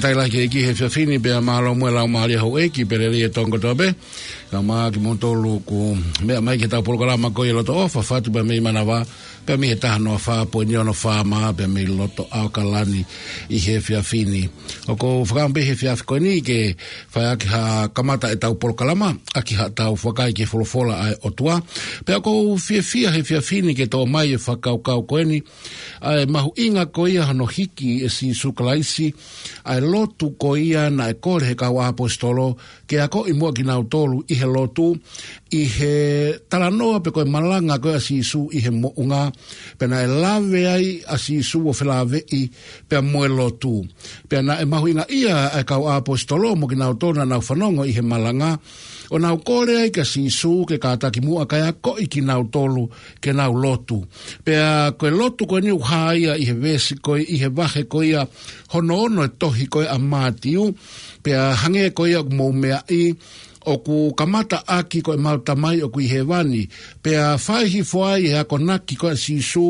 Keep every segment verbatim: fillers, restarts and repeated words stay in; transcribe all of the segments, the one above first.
Kaila ke iki he efiafi ni pea mālō mo e laumālie houʻeiki pea lelei e tonga kotoa pē. Kae ʻumaʻā kimoutolu ʻoku meʻa mai ki heʻetau polokalama ko ia Loto ʻOfa, Fatu pea mei Manava, pea mei he taha noa fā poini ono FM pea mei loto ʻAokalani ʻi he efiafi ni. ʻOku ou fakaʻamu pē he efiafi ko eni ke fai ʻaki ha kamata ʻetau polokalama, ʻaki haʻatau fakaʻai ki he folofola ʻa e ʻOtua. Pea ʻoku ou fiefia he efiafi ni ke toʻo mai e fakakaukau ko eni, ʻa e mahuʻinga ko ia hono hiki ʻe Sīsū Kalaisi ʻa e lotu ko ia naʻe kole he kau ʻaposetolo ke akoʻi muʻa kinautolu ʻi he lotu, ʻi he talanoa pe ko e malanga ko ia ʻa Sīsū ʻi he moʻunga, pea naʻe lave ai ʻa Sīsū ʻo felāveʻi pea mo e lotu. Pea naʻe mahuʻingaʻia ʻa e kau ʻaposetolo mo kinautolu naʻa nau fanongo ʻi he malanga, ʻo nau kole ai kia Sīsū ke kātaki muʻa kae akoʻi kinautolu ke nau lotu. Pea ko e lotu ko eni ʻoku hā ia ʻi he veesi ko ia, ʻi he vahe ko ia hono ono e tohi ko ia ʻa Mātiu, pea hangē ko ia ʻoku mou meaʻi, ʻoku kamata ʻaki ko ʻemau Tamai ʻoku ʻi hēvani, pea fai hifo ai e akonaki ko ia ʻa Sīsū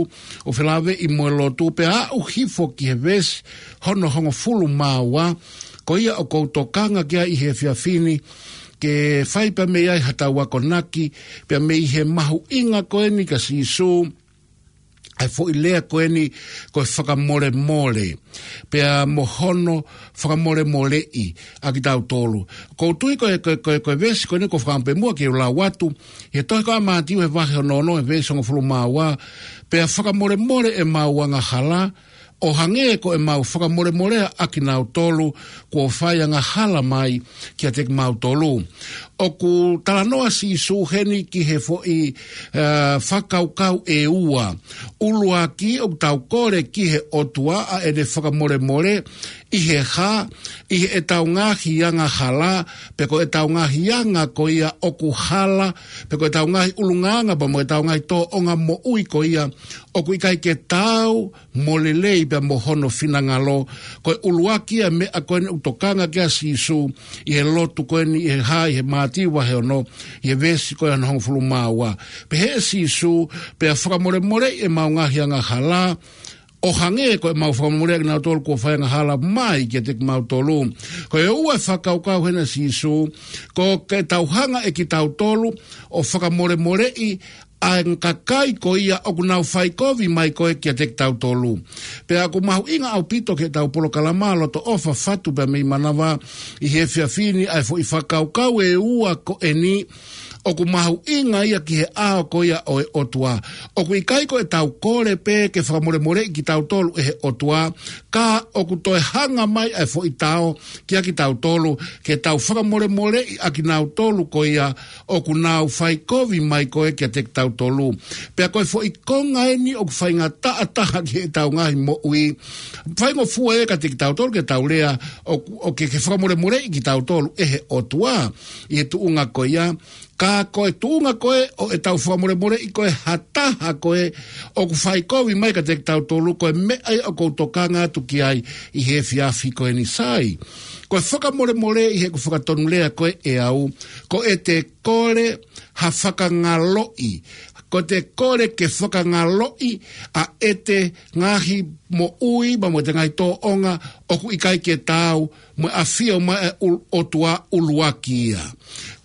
ʻo felāveʻi mo e lotu, pea aʻu hifo ki he veesi hono hongofulu mā ua, ko ia ʻoku ou tokanga ki ai ʻi he efiafi ni, ke fai pea mei ai haʻatau akonaki, pea mei he mahuʻinga ko eni kia Sīsū, ʻa e foʻi lea ko eni ko e fakamolemole, pea mo hono fakamolemoleʻi ʻa kitautolu. ʻOku ou tui ko e, ko e, ko e, ko e veesi ko eni ʻoku ou fakaʻamu pē muʻa ke u lau atu, he tohi ko ia ʻa Mātiu he vahe hono ono, he veesi hongofulu mā ua, pea fakamolemole ʻemau angahala, ʻo hangē ko ʻemau fakamolemolea ʻa kinautolu kuo fai angahala mai kiate kimautolu. ʻOku talanoa Sīsū heni ki he foʻi, ā, fakakaukau ʻe ua. ʻUluaki, ʻoku tau kole ki he ʻOtua ʻa ʻene fakamolemole ʻi he hā? ʻI heʻetau ngaahi angahala, pe ko ʻetau ngaahi anga ko ia ʻoku hala, pe ko ʻetau ngaahi ʻulungaanga pea mo ʻetau ngaahi tōʻonga moʻui ko ia ʻoku ʻikai ke taau mo lelei pea mo hono finangalo. Ko e ʻuluaki ia e meʻa ko eni ʻoku tokanga ki ai ʻa Sīsū ʻi he lotu ko eni ʻi he hā, ʻi he Mātiu vahe ono, ʻi he veesi ko ia hono hongofulu mā ua. Pehē ʻe Sīsū, pea fakamolemoleʻi ʻemau ngaahi angahala, ʻo hangē ko ʻemau fakamolemoleʻi ʻa kinautolu kuo fai angahala mai kiate kimautolu. Ko e ua e fakakaukau heni ʻa Sīsū, ko ʻetau hanga ʻe kitautolu ʻo fakamolemoleʻi ʻa e kakai ko ia ʻoku nau fai kovi mai ko ē kiate kitautolu. Pea ʻoku mahuʻinga ʻaupito ki heʻetau polokalama Loto ʻOfa, Fatu pea mei Manava ʻi he efiafi ni ʻa e foʻi fakakaukau ʻe ua ko eni, ʻoku mahuʻinga ia ki he ʻao ko ia ʻo e ʻOtua. ʻOku ʻikai ko ʻetau kole pē ke fakamolemoleʻi kitautolu ʻe he ʻOtua, ka ʻoku toe hanga mai ʻa e foʻi tao kia kitautolu, ke tau fakamolemoleʻi ʻa kinautolu ko ia ʻoku nau fai kovi mai ko ē kiate kitautolu. Pea ko e foʻi konga eni ʻoku faingataʻa taha ki heʻetau ngaahi moʻui. Faingofua ia kiate kitautolu ke tau lea ʻo, ʻo ke, ke fakamolemoleʻi kitautolu ʻe he ʻOtua ʻi he tuʻunga ko ia. Ka ko e tuʻunga ko ē ʻo ʻetau fakamolemoleʻi ko ē ha taha ko ē ʻoku fai kovi mai kiate kitautolu, ko e meʻa ia ʻoku ou tokanga atu ki ai ʻi he efiafi ko eni, sai. Ko e fakamolemole ʻi heʻeku fakatonulea ko ē ʻe au, ko ʻete kole ha fakangaloʻi. Ko ʻete kole ke fakangaloʻi ʻa ʻete ngaahi moʻui pea mo ʻete ngaahi tōʻonga ʻoku ʻikai ke taau mo e ʻafio mai ʻa e ʻul-, ʻOtua, ʻuluaki ia.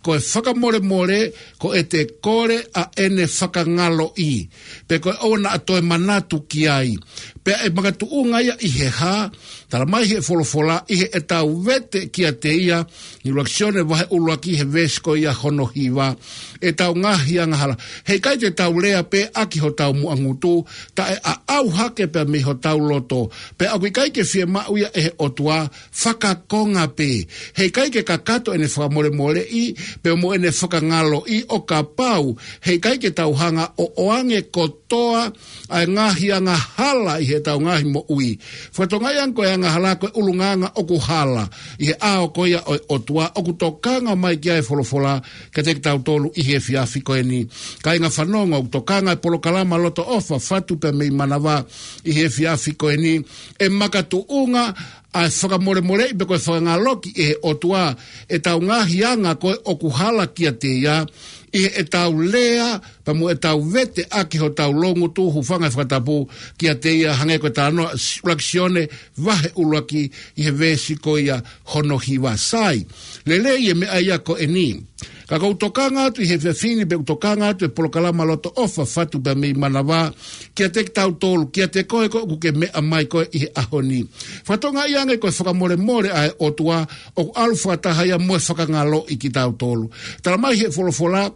Ko e fakamolemole, ko ʻete kole ʻa ʻene fakangaloʻi, pe ko e ʻoua naʻa toe manatu ki ai. Pea ʻe makatuʻunga ia ʻi he hā? Tala mai he folofola, ʻi heʻetau vete kiate ia, ʻi ʻuluaki Sione vahe ʻuluaki he veesi ko ia hono hiva, ʻetau ngaahi angahala. Heʻikai te tau lea pē ʻaki hotau muʻa ngutu, taʻeʻaʻau hake pea mei hotau loto. Pea ʻoku ʻikai ke fiemaʻu ia ʻe he ʻOtua, fakakonga pē. Heʻikai ke kakato ʻene fakamolemoleʻi pea mo ʻene fakangaloʻi ʻo kapau heʻikai ke tau hanga ʻo ʻoange kotoa ʻa e ngaahi angahala ʻi heʻetau ngaahi moʻui. Fakatokangaʻi ange ko e angahala ko e ʻulungaanga ʻoku hala ʻi he ʻao ko ia ʻo e ʻOtua ʻoku tokanga mai ki ai e folofola kiate kitautolu ʻi he efiafi ko eni. Kāinga fanongo, ʻoku tokanga e polokalama Loto ʻOfa, Fatu pea mei Manava ʻi he efiafi ko eni. ʻE makatuʻunga ʻa e fakamolemoleʻi pe ko e fakangaloʻi ʻe he ʻOtua ʻetau ngaahi anga ko ē ʻoku hala kiate ia, ʻi heʻetau lea, pea mo ʻetau vete ʻaki hotau loungutu, hūfanga he fakatapu kiate ia, hangē ko e talanoa ʻa Sione vahe ʻuluaki ʻi he veesi ko ia hono hiva. Sai, lelei e meʻa ia ko eni. Ka ʻoku ou tokanga atu ʻi he efiafi ni, pea ʻoku tokanga atu e polokalama Loto ʻOfa Fatu pea mei Manavā kiate kitautolu, kiate koe ko ē ʻoku ke meʻa mai ko ē ʻi he ʻaho ni. Fakatokangaʻi ange ko e fakamolemole ʻa e ʻOtua ʻoku ʻalu fakataha ia mo e fakangaloʻi kitautolu. Tala mai he folofola,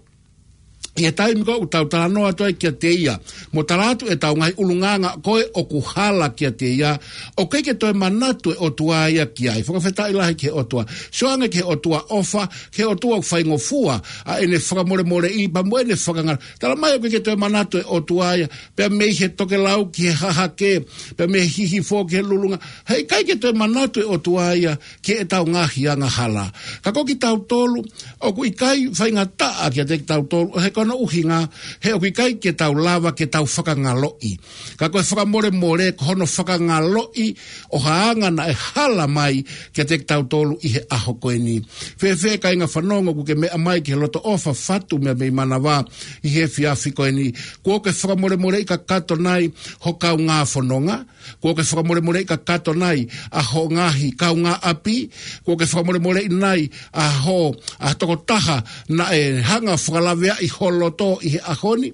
ʻi he taimi ko ē ʻoku tau talanoa atu ai kiate ia, mo tala atu ʻetau ngaahi ʻulungaanga ko ē ʻoku hala kiate ia, ʻoku ʻikai ke toe manatu e ʻOtua ia ki ai. Fakafetaʻi lahi ki he ʻOtua. Sio ange ki he ʻOtua ʻofa, ki he ʻOtua ʻoku faingofua ʻa ʻene fakamolemoleʻi pea mo ʻene fakangaloʻi. Tala mai ʻoku ʻikai ke toe manatu e ʻOtua ia, pea mei he tokelau ki he hahake, pea mei he hihifo ki he lulunga. Heʻikai ke toe manatu e ʻOtua ia ki heʻetau ngaahi angahala. Ka ko kitautolu, ʻoku ʻikai faingataʻa kiate kitautolu, ʻo he ko hono ʻuhinga, he ʻoku ʻikai ke tau lava ke tau fakangaloʻi. Ka ko e fakamolemole, ko hono fakangaloʻi ʻo ha anga naʻe hala mai kiate kitautolu ʻi he ʻaho ko eni. Fēfē kāinga fanongo ʻoku ke meʻa mai ki he Loto ʻOfa Fatu pea mei Manavā ʻi he efiafi ko eni? Kuo ke fakamolemoleʻi kakato nai ho kaungā fononga? Kuo ke fakamolemoleʻi kakato nai ʻa ho ngaahi kaungāʻapi? Kuo ke fakamolemoleʻi nai ʻa ho, ʻa tokotaha naʻe hanga fakalaveaʻi ho loto ʻi he ʻaho ni?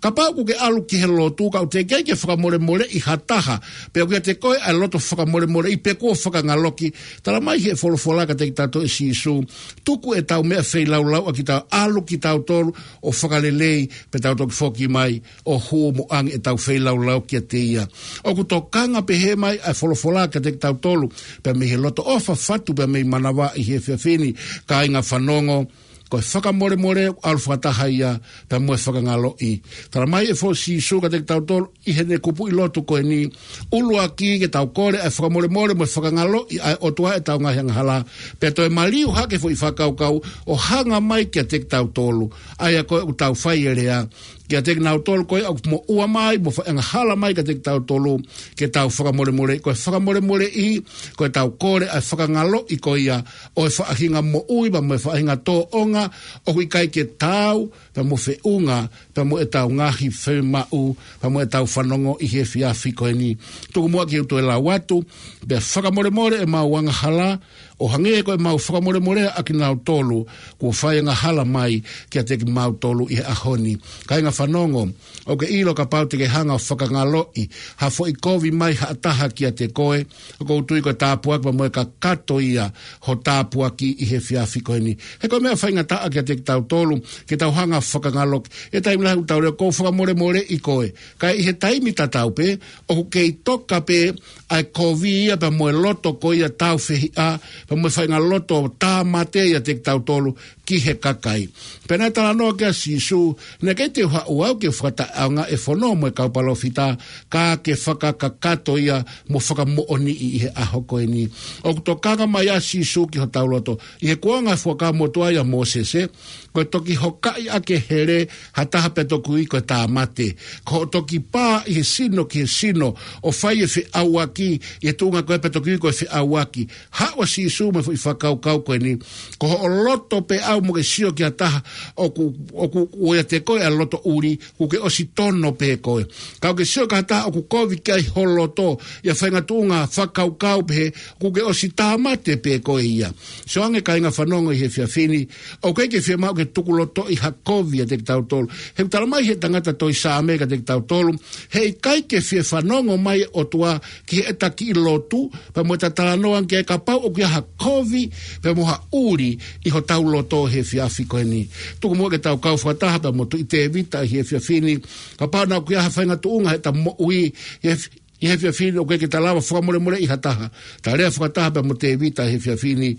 Kapau ʻoku ke ʻalu ki he lotu, ka ʻoku teʻeki ai ke fakamolemoleʻi ha taha, pea ʻoku ʻiate koe ʻa e loto fakamolemoleʻi, pe kuo fakangaloʻi, tala mai he folofola kiate kitautolu ʻe Sīsū, tuku ʻetau meʻa feilaulau ʻa kitautolu, ʻalu kitautolu ʻo fakalelei, pea tau toki foki mai ʻo hū mo ʻoange ʻetau feilaulau kiate ia. ʻOku tokanga pehē mai ʻa e folofola kiate kitautolu, pea mei he Loto ʻOfa Fatu pea mei Manavā ʻi he efiafi ni, kāinga fanongo, ko e fakamolemole ʻoku ʻalu fakataha ia pea mo e fakangaloʻi. Tala mai ʻe he folofola ʻa Sīsū kiate kitautolu ʻi heʻene kupuʻi lotu ko eni, ʻuluaki ke tau kole ʻa e fakamolemole mo e fakangaloʻi ʻa e ʻOtua ʻetau ngaahi angahala, pea toe maliu hake foʻi fakakaukau ʻo hanga mai kiate kitautolu, ʻa ia ko ē ʻoku tau fai e lea kiate kinautolu ko ē ʻoku moʻua mai mo fai angahala mai kiate kitautolu, ke tau fakamolemoleʻi. Ko e fakamolemoleʻi, ko ʻetau kole ʻa e fakangaloʻi ko ia ʻo e faʻahinga moʻui pea mo e faʻahinga tōʻonga ʻoku ʻikai ke taau pea mo feʻunga pea mo ʻetau ngaahi fiemaʻu pea mo ʻetau fanongo ʻi he efiafi ko eni. Tuku muʻa ke u toe lau atu, pea fakamolemole ʻemau angahala, ʻo hangē ko ʻemau fakamolemoleʻi ʻa kinautolu kuo fai angahala mai kiate kimautolu ʻi he ʻaho ni. Kāinga fanongo, ʻoku ke ʻilo kapau te ke hanga ʻo fakangaloʻi ha foʻi kovi mai ha taha kiate koe, ʻoku ou tui ko e tāpuaki pea mo e kakato ia ho tāpuaki ʻi he efiafi ko eni. He ko e meʻa faingataʻa kiate kitautolu ke tau hanga ʻo fakangaloʻi. ʻI he taimi lahi ʻoku tau lea, ʻoku ou fakamolemoleʻi koe. Ka ʻi he taimi tatau pē, ʻoku kei toka pē ʻa e kovi ia pea mo e loto ko ia tāufehiʻa, pea mo e faʻahinga loto tāmate ʻiate kitautolu ki he kakai. Pea naʻe talanoa ki ai ʻa Sīsū, naʻe ʻikai te u haʻu au ke fakataʻeʻaongaʻi e fono mo e kau palōfita, ka ke fakakakato ia mo fakamoʻoniʻi ʻi he ʻaho ko eni. ʻOku tokanga mai ʻa Sīsū ki hotau loto. ʻI he kuonga Fuakava Motuʻa ʻia Mōsese, ko e toki hokaʻi ʻaki e hele ha taha pea toki ui ko e tāmate. Ko hoʻo toki pā ʻi he sino ki he sino ʻo fai e feʻauaki, ʻi he tuʻunga ko ē pea toki ui ko e feʻauaki. Haʻu ʻa Sīsū mo e foʻi fakakaukau ko eni. Ko hoʻo loto pē ʻaʻau mo ke sio ki ha taha ʻoku, ʻoku, ʻoku ʻiate koe ʻa e loto ʻuli, kuo ke ʻosi tono pē koe. Ka ʻoku ke sio ki ha taha ʻoku kovi ki ai ho loto, ʻi ha faʻahinga tuʻunga fakakaukau pehē, kuo ke ʻosi tāmate pē koe ia. Sio ange kāinga fanongo ʻi he efiafi ni, ʻoku ʻikai ke fiemaʻu ke tukulotoʻi ha kovi ʻiate kitautolu. He ʻoku tala mai he tangata tohi Saame kiate kitautolu, heʻikai ke fie fanongo mai e ʻOtua ki heʻeta kiʻi lotu, pea mo ʻeta talanoa ki ai kapau ʻoku ʻi ai ha kovi, pea mo ha ʻuli ʻi hotau loto he efiafi ko eni. Tuku muʻa ke tau kau fakataha pea mo Tuʻi Tēvita ʻi he efiafi ni, kapau naʻa ʻoku ʻi ai ha faʻahinga tuʻunga heʻeta moʻui, he ʻI he efiafi ni ʻoku ʻikai ke ta lava fakamolemoleʻi ha taha. Ta lea fakataha pea mo Tēvita he efiafi ni,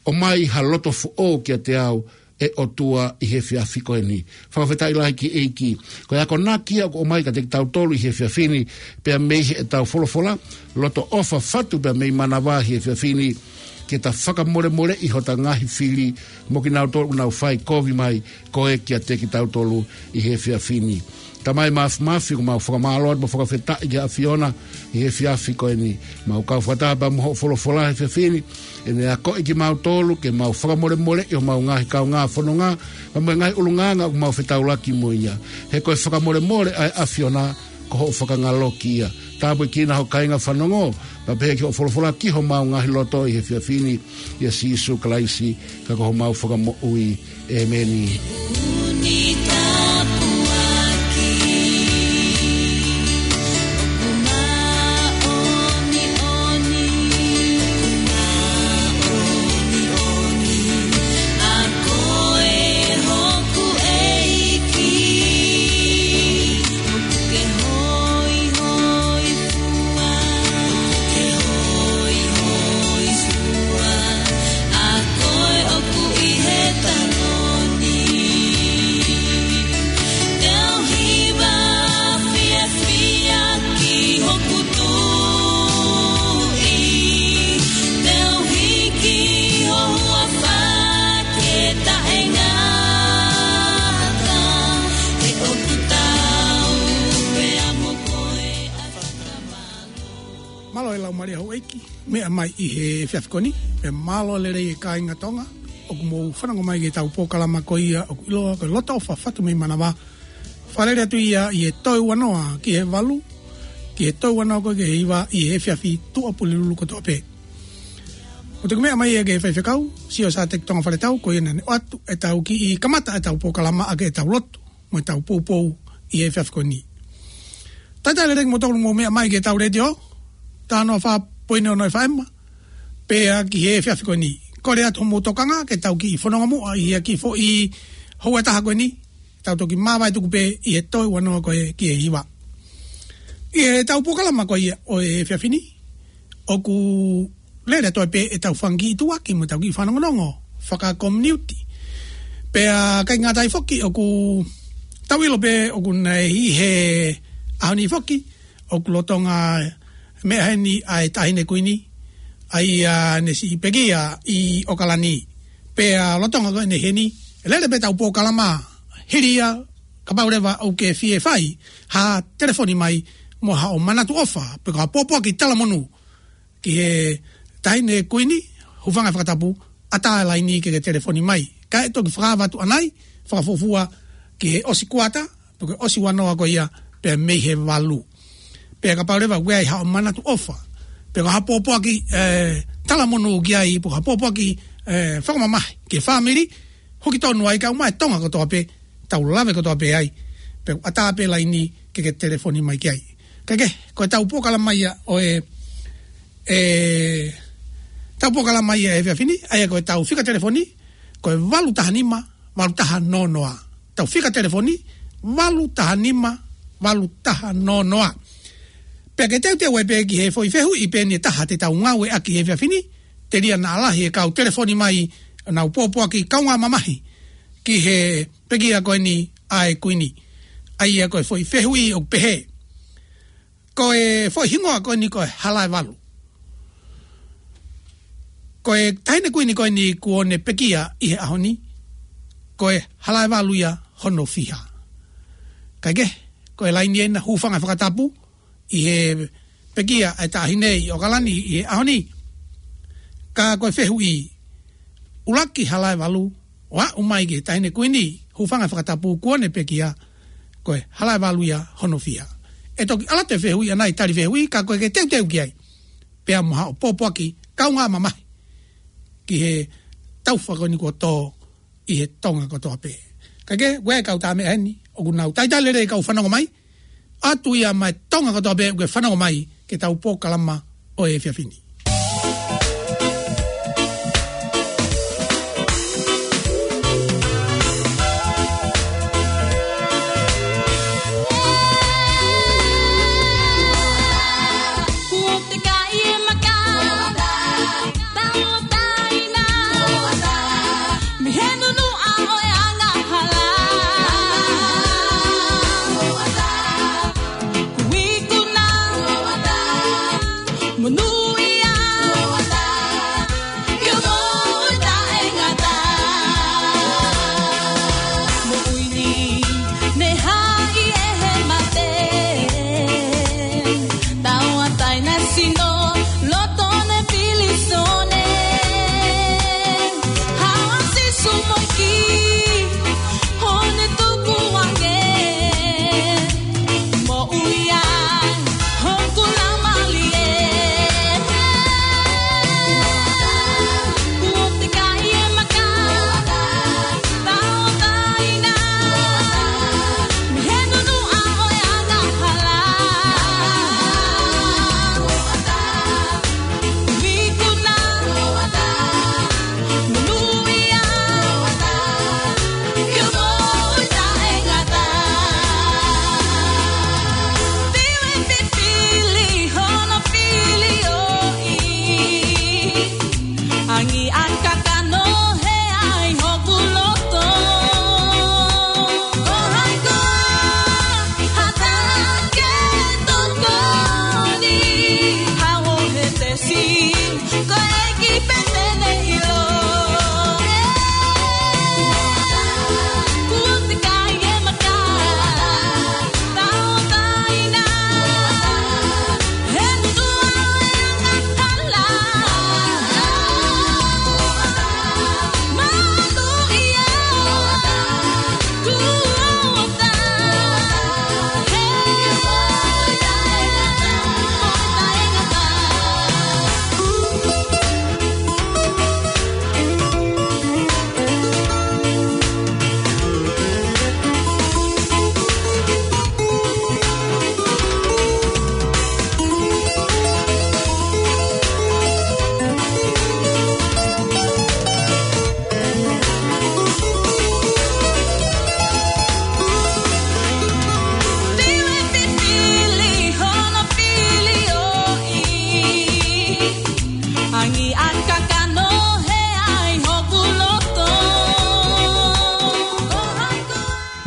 ʻomai ha loto foʻou kiate au ʻe ʻOtua ʻi he efiafi ko eni. Fakafetaʻi lahi ki he ʻEiki. Ko e akonaki ia ʻoku ʻomai kiate kitautolu ʻi he efiafi ni, pea mei heʻetau folofola, Loto ʻOfa Fatu pea mei Manavā he efiafi ni. ke ta fakamolemoleʻi hota ngaahi fili mo kinautolu ʻoku nau fai kovi mai ko ē kiate kitautolu ʻi he efiafi ni. Tamai Māfimafi, ʻoku mau fakamālō atu mo fakafetaʻi ki he ʻAfiona ʻi he efiafi ko eni. Mau kau fakataha pea mo hoʻo folofola he efiafi ni, ʻene akoʻi kimautolu ke mau fakamolemoleʻi homau ngaahi kaungā fononga, pea mo e ngaahi ʻulungaanga ʻoku mau fetaulaki mo ia. He ko e fakamolemole ʻa e ʻAfiona, ko hoʻo fakangaloki ia. Tāpuekina ho kāinga fanongo, pea pehē ki hoʻo folofola ki homau ngaahi loto ʻi he efiafi ni, ʻia Sīsū Kalaisi, ka ko homau Fakamoʻui. ʻĒmeni. Mālō e laumālie houʻeiki, meʻa mai ʻi he efiafi ko eni, pea mālō lelei e kāinga Tonga ʻoku mou fanongo mai ki heʻetau polokalama ko ia ʻoku ʻiloa ko e Loto ʻOfa Fatu mei Manavā. Fakalele atu ia ʻi he toe ua noa ki he valu, ki he toe ua noa ko ē ki he hiva ʻi he efiafi Tuʻapulelulu kotoa pē. Ko e toki meʻa mai ia ki he faifekau, Siosateki Tonga Faletau, ko ia naʻa ne ʻoatu ʻetau kiʻi kamata ʻetau polokalama ʻaki ʻetau lotu mo ʻetau poupou ʻi he efiafi ko eni. Talitali lelei kimoutolu ʻoku mou meʻa mai ki heʻetau letiō, taha noa fā poini ono F M, pea ki he efiafi ko eni. Kole atu hoʻomou tokanga ke tau kiʻi fononga muʻa ʻi he kiʻi foʻi houa ʻe taha ko eni, tau toki māvae tuku pē ʻi he toe ua noa ko ē ki he hiva. ʻI heʻetau polokalama ko ia ʻo e efiafi ni, ʻoku lele atu ai pē ʻetau fanga kiʻi tuʻuaki mo ʻetau kiʻi fanongonongo fakakominiuti. Pea ʻikai ngata ai foki, ʻoku tau ʻilo pē ʻoku nau ʻi he ʻaho ni foki, ʻoku lolotonga meʻa heni ʻa e Taʻahine Kuini, ʻa ia naʻe siʻi pekia ʻi ʻOkalani. Pea lolotonga ko eni heni, lele pē ʻetau polokalama hili ia, kapau leva ʻoku ke fie fai ha telefoni mai mo haʻo manatu ʻofa, pe ko ha pōpoaki talamonū ki he Taʻahine Kuini, hūfanga he fakatapu, ʻatā e laini ke ke telefoni mai. Kae toki fakaava atu ʻanai, fakafuofua ki he ʻosi kuata, pe ko e ʻosi ua noa ko ia, pea mei he valu. Pea kapau leva ʻoku ʻi ai haʻo manatu ʻofa, pe ko ha pōpoaki, ē, talamonū ki ai, pe ko ha pōpoaki, ē, fakamamahi ki he fāmili, hoko tonu ai, kae ʻumaʻā e Tonga kotoa pē, tau lave kotoa pē ai, pea ʻatā pē laini ke ke telefoni mai ki ai. Kae kehe, ko ʻetau polokalama ia ʻo e, ʻetau polokalama ia ʻo e efiafi ni, ʻa ia ko ʻetau fika telefoni, ko e valu taha nima, valu taha noa noa. ʻEtau fika telefoni, valu taha nima, valu taha noa noa. Pea ke teuteu ai pē ki he foʻi fehuʻi pē eni ʻe taha te tau ngāueʻaki he efiafi ni, telia naʻa lahi e kau telefoni mai ʻo nau pōpoaki kaungā mamahi ki he pekia ko eni ʻa e Kuini. ʻA ia ko e foʻi fehuʻi ʻoku pehē: Ko e foʻi hingoa ko eni ko e Halaevalu. Ko e Taʻahine Kuini ko eni kuo ne pekia ʻi he ʻaho ni, ko e Halaevalu ia hono fiha? Kae kehe, ko e laini ena, hūfanga he fakatapu, ʻi he pekia ʻa e Taʻahine ʻi ʻOkalani ʻi he ʻaho ni. Ka ko e fehuʻi, ʻuluaki Halaevalu, ʻo aʻu mai ki he Taʻahine Kuini, hūfanga he fakatapu, kuo ne pekia, ko e Halaevalu ia hono fiha? ʻE toki ʻalu atu e fehuʻi ʻanai, tali fehuʻi, ka ko e ke teuteu ki ai, pea mo haʻo pōpoaki kaungā mamahi ki he taufa ko eni kuo tō ʻi he Tonga kotoa pē. Kae kehe, ʻoku ʻi ai e kau tā meʻa heni ʻoku nau talitali lelei e kau fanongo mai, ʻoatu ia maʻa e Tonga kotoa pē ʻoku ke fanongo mai ki heʻetau polokalama ʻo e efiafi ni.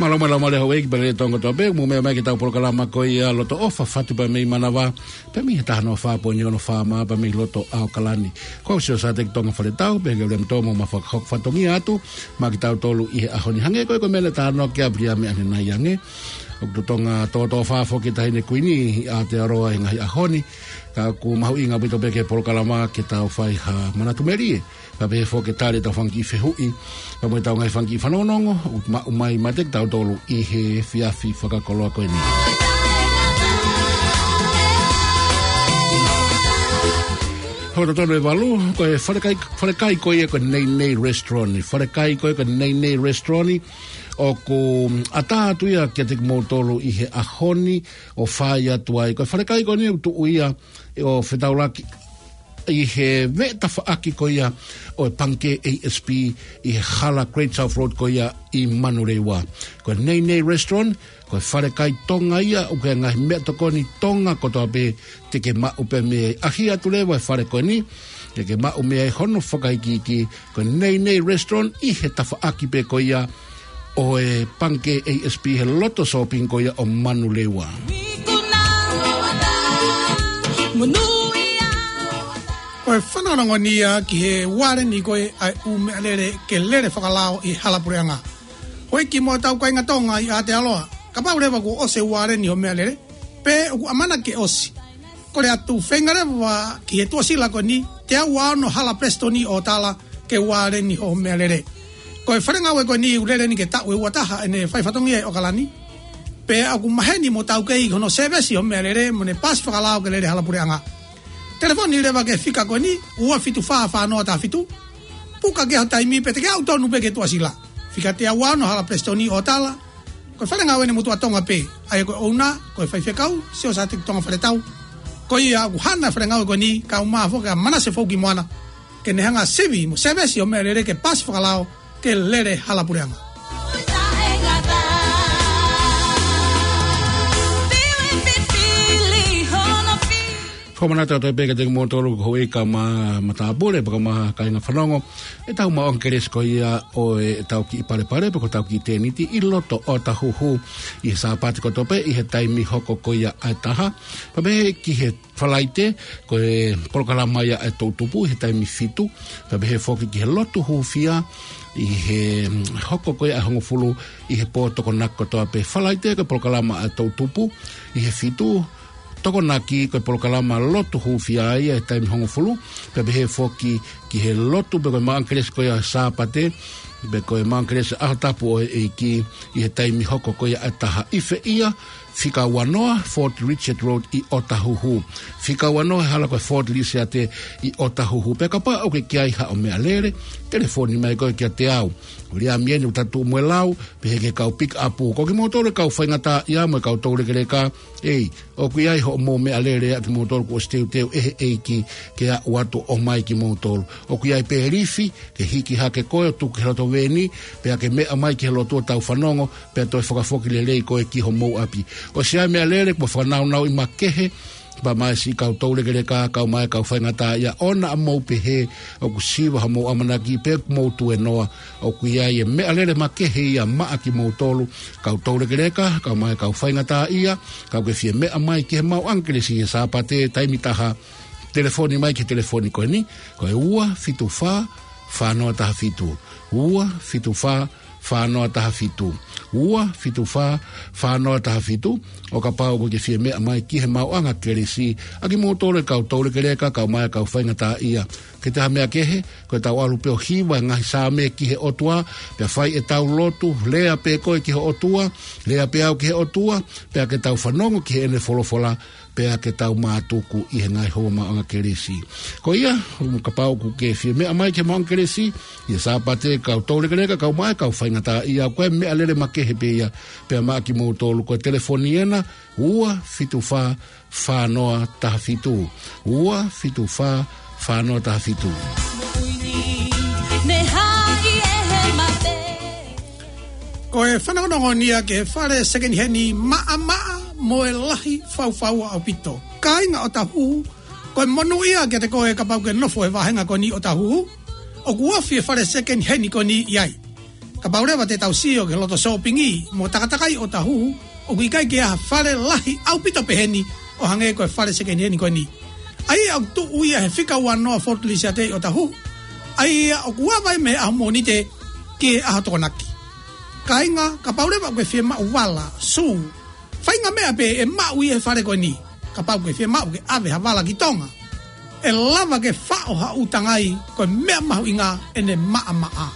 Mālō, mālō, mālō, houʻeiki pea mo e Tonga kotoa pē, mou meʻa mai ki heʻetau polokalama ko ia Loto ʻOfa, Fatu pea mei Manavā, pea mei he taha noa fā poini ono FM pea mei loto ʻAokalani. Ko au Siaosi ʻAteki Tonga Faletau, pea ke ʻoua ʻe mou toe mo ma fakahoko fatongia atu maʻa kitautolu ʻi he ʻaho ni. Hangē ko e, ko e meʻa naʻe talanoa ki ai ʻa Viliami ʻanenai ange, ʻoku totonu ke tōtōfā foki e Taʻahine Kuini ʻi Aotearoa he ngaahi ʻaho ni. Ka ʻoku mahuʻinga ʻaupito pē ki he polokalama ke tau fai ha manatu melie, pea pehē foki ke tali ʻetau fanga kiʻi fehuʻi pea mo ʻetau ngaahi fanga kiʻi fanongonongo ʻoku maʻu mai maʻa kitautolu ʻi he efiafi fakakoloa ko eni. Hoko tonu e valu, ko e falekai, falekai ko ia ko e Nei Nei Restaurant. Falekai ko ia ko e Nei Nei Restaurant, ʻoku ʻatā atu ia kiate kimoutolu ʻi he ʻaho ni ʻo fai atu ai. Ko e falekai ko eni ʻoku tuʻu ia ʻo fetaulaki ʻi he veʻe tafaʻaki ko ia ʻo e Pangikē ASP ʻi he hala Great South Road ko ia ʻi Manurewa. Ko e Nei Nei Restaurant, ko e falekai Tonga ia, ʻoku ʻi ai e ngaahi meʻatokoni Tonga kotoa pē te ke maʻu pē mei ai. ʻAhi atu leva e fale ko eni, te ke maʻu mei ai hono fakaikiiki, ko e Nei Nei Restaurant ʻi he tafaʻaki pē ko ia ʻo e Pangikē ASP he loto shopping ko ia ʻo Manurewa. Ko e fanongonongo ia ki he uāleni ko ē ʻa e ʻū meʻalele ke lele fakalao ʻi he hala puleʻanga. Houʻeiki mo ʻetau kāinga Tonga ʻi Aotearoa, kapau leva kuo ʻosi e uāleni hoʻo meʻalele, pe ʻoku ʻamanaki ke ʻosi, kole atu feinga leva ki he tuʻasila ko eni, teau ua ono Hala Palesiteni ʻo tala ke uāleni hoʻo meʻalele. Ko e fale ngāue ko eni ʻoku lele ni ke taʻu ʻe ua taha ʻene fai fatongia ʻi ʻAokalani. Pea ʻoku maheni mo taukei hono sēvesi hoʻo meʻalele mo ʻene paasi fakalao ke lele hala puleʻanga. Telefoni leva ki he fika ko eni, ua fitu fā fā noa taha fitu. Puka ki ai ho taimi pe te ke aʻu tonu pē ki he tuʻasila. Fika teau ua ono Hala Palesiteni ʻo tala, ko e fale ngāue ʻa e motuʻa Tonga pē, ʻa ia ko e ʻouna, ko e faifekau Siaosi ʻAteki Tonga Faletau. Ko ia ʻoku hana e fale ngāue ko eni, kae ʻumaʻā foki ʻa Manase Foukimoana, ke ne hanga ʻo sivi mo sēvesi hoʻo meʻalele ke paasi fakalao ke lele hala puleʻanga. Fakamanatu atu pē kiate kimoutolu ko e houʻeiki mo e matāpule, pea mo e kāinga fanongo, ʻetau maʻuʻanga kelesi ko ia ʻo ʻetau kiʻi palepale, pe ko ʻetau kiʻi tēniti ʻi loto ʻOtahuhu ʻi he Sāpate kotoa pē ʻi he taimi hoko ko ia ʻa e taha. Pea pehē ki he Falaite, ko e polokalama ia ʻa e toʻutupu ʻi he taimi fitu. Pea pehē foki ki he lotu hūfia ʻi he, mm, hoko ko ia ʻa e hongofulu ʻi he pō Tokonaki kotoa pē. Falaite ko e polokalama ʻa e toʻutupu ʻi he fitu, Tokonaki ko e polokalama lotu hūfia ia he taimi hongofulu, pea pehē foki ki he lotu pe ko e maʻuʻanga kelesi ko ia Sāpate, pe ko e maʻuʻanga kelesi ʻAho Tapu ʻo e ʻEiki ʻi he taimi hoko ko ia ʻa e taha. ʻI fē ia? Fika ua noa Fort Richard Road ʻi ʻOtahuhu. Fika ua noa he hala ko e Fort Lisiate ʻi ʻOtahuhu. Pea kapau ʻoku ke ʻi ai haʻo meʻalele, telefoni mai koe kiate au. Ko Liamieni ʻoku tatuʻu mo e lau, pehē ki he kau pick up. Ko kimoutolu e kau faingataʻaʻia mo e kau toulekeleka, ʻEi, ʻoku ʻi ai hoʻomou meʻalele ʻa kimoutolu kuo ʻosi teuteu ʻe he ʻEiki ke aʻu atu ʻo ʻomai kimoutolu. ʻOku ʻi ai pē lifi ke hiki hake koe ʻo tuku ki he loto veni, pea ke meʻa mai ki he lotu ʻo tau fanongo, pea toe fakafoki lelei koe ki homou ʻapi. ʻOsi ʻi ai e meʻalele kuo fakanaunauʻi makehe, pea mo e siʻi kau toulekeleka, kae ʻumaʻā e kau faingataʻaʻia, ʻoua naʻa mou pehē ʻoku siva hoʻomou ʻamanaki pe ʻoku mou tuēnoa. ʻOku ʻi ai e meʻalele makehe ia maʻa kimoutolu, kau toulekeleka, kae ʻumaʻā e kau faingataʻaʻia, ka ʻoku ke fie meʻa mai ki he maʻuʻanga kelesi he Sāpate taimi taha, telefoni mai ki he telefoni ko eni, ko e ua fitu fā fā noa taha fitu. Ua fitu fā fā noa taha fitu. Ua fitu fā fā noa taha fitu. ʻO kapau ʻoku ke fie meʻa mai ki he maʻuʻanga kelesi, ʻa kimoutolu e kau toulekeleka, kae ʻumaʻā e kau faingataʻaʻia, ke te ha meʻa kehe, ko ʻetau ʻalu pē ʻo hiva e ngaahi Saame ki he ʻOtua, pea fai ʻetau lotu, lea pē koe ki he ʻOtua, lea pē au ki he ʻOtua, pea ke tau fanongo ki heʻene folofola, pea ke tau mātuku ʻi he ngaahi houa maʻuʻanga kelesi. Ko ia, kapau ʻoku ke fie meʻa mai ki he maʻuʻanga kelesi ʻi he Sāpate, kau toulekeleka, kae ʻumaʻā e kau faingataʻaʻia, ko e meʻalele makehe pē ia, pea maʻa kimoutolu, ko e telefoni ena, ua fitu fā fā noa taha fitu. Ua fitu fā fā noa taha fitu. Ko e fanongonongo eni ia ki he fale sekeniheni maʻamaʻa mo e lahi faufaua ʻaupito. Kāinga ʻOtahuhu, ko e monū ia kiate koe kapau ʻoku ke nofo he vāhenga ko eni ʻOtahuhu, ʻoku ofi e fale sekeniheni ko eni ʻi ai. Kapau leva te tau sio ki he loto sōpingi mo takatakai ʻo Ōtāhuhu, ʻoku ʻikai ke ʻi ai ha fale lahi ʻaupito peheni ʻo hangē ko e fale sekeniheni ko eni. ʻA ia ʻoku tuʻu ia he fika uanoa Fort Lisiate ʻi Ōtāhuhu. ʻA ia ʻoku ava ia mei he ʻaho Mōnite ki he ʻaho Tokonaki. Kāinga, kapau leva ʻoku ke fiemaʻu vala, sū, faʻahinga meʻa pē ʻe maʻu ia he fale ko eni. Kapau ʻoku ke fiemaʻu ke ʻave ha vala ki Tonga, ʻe lava ke faʻo ha ʻū tangai, ko e meʻa mahuʻinga ʻene maʻamaʻa.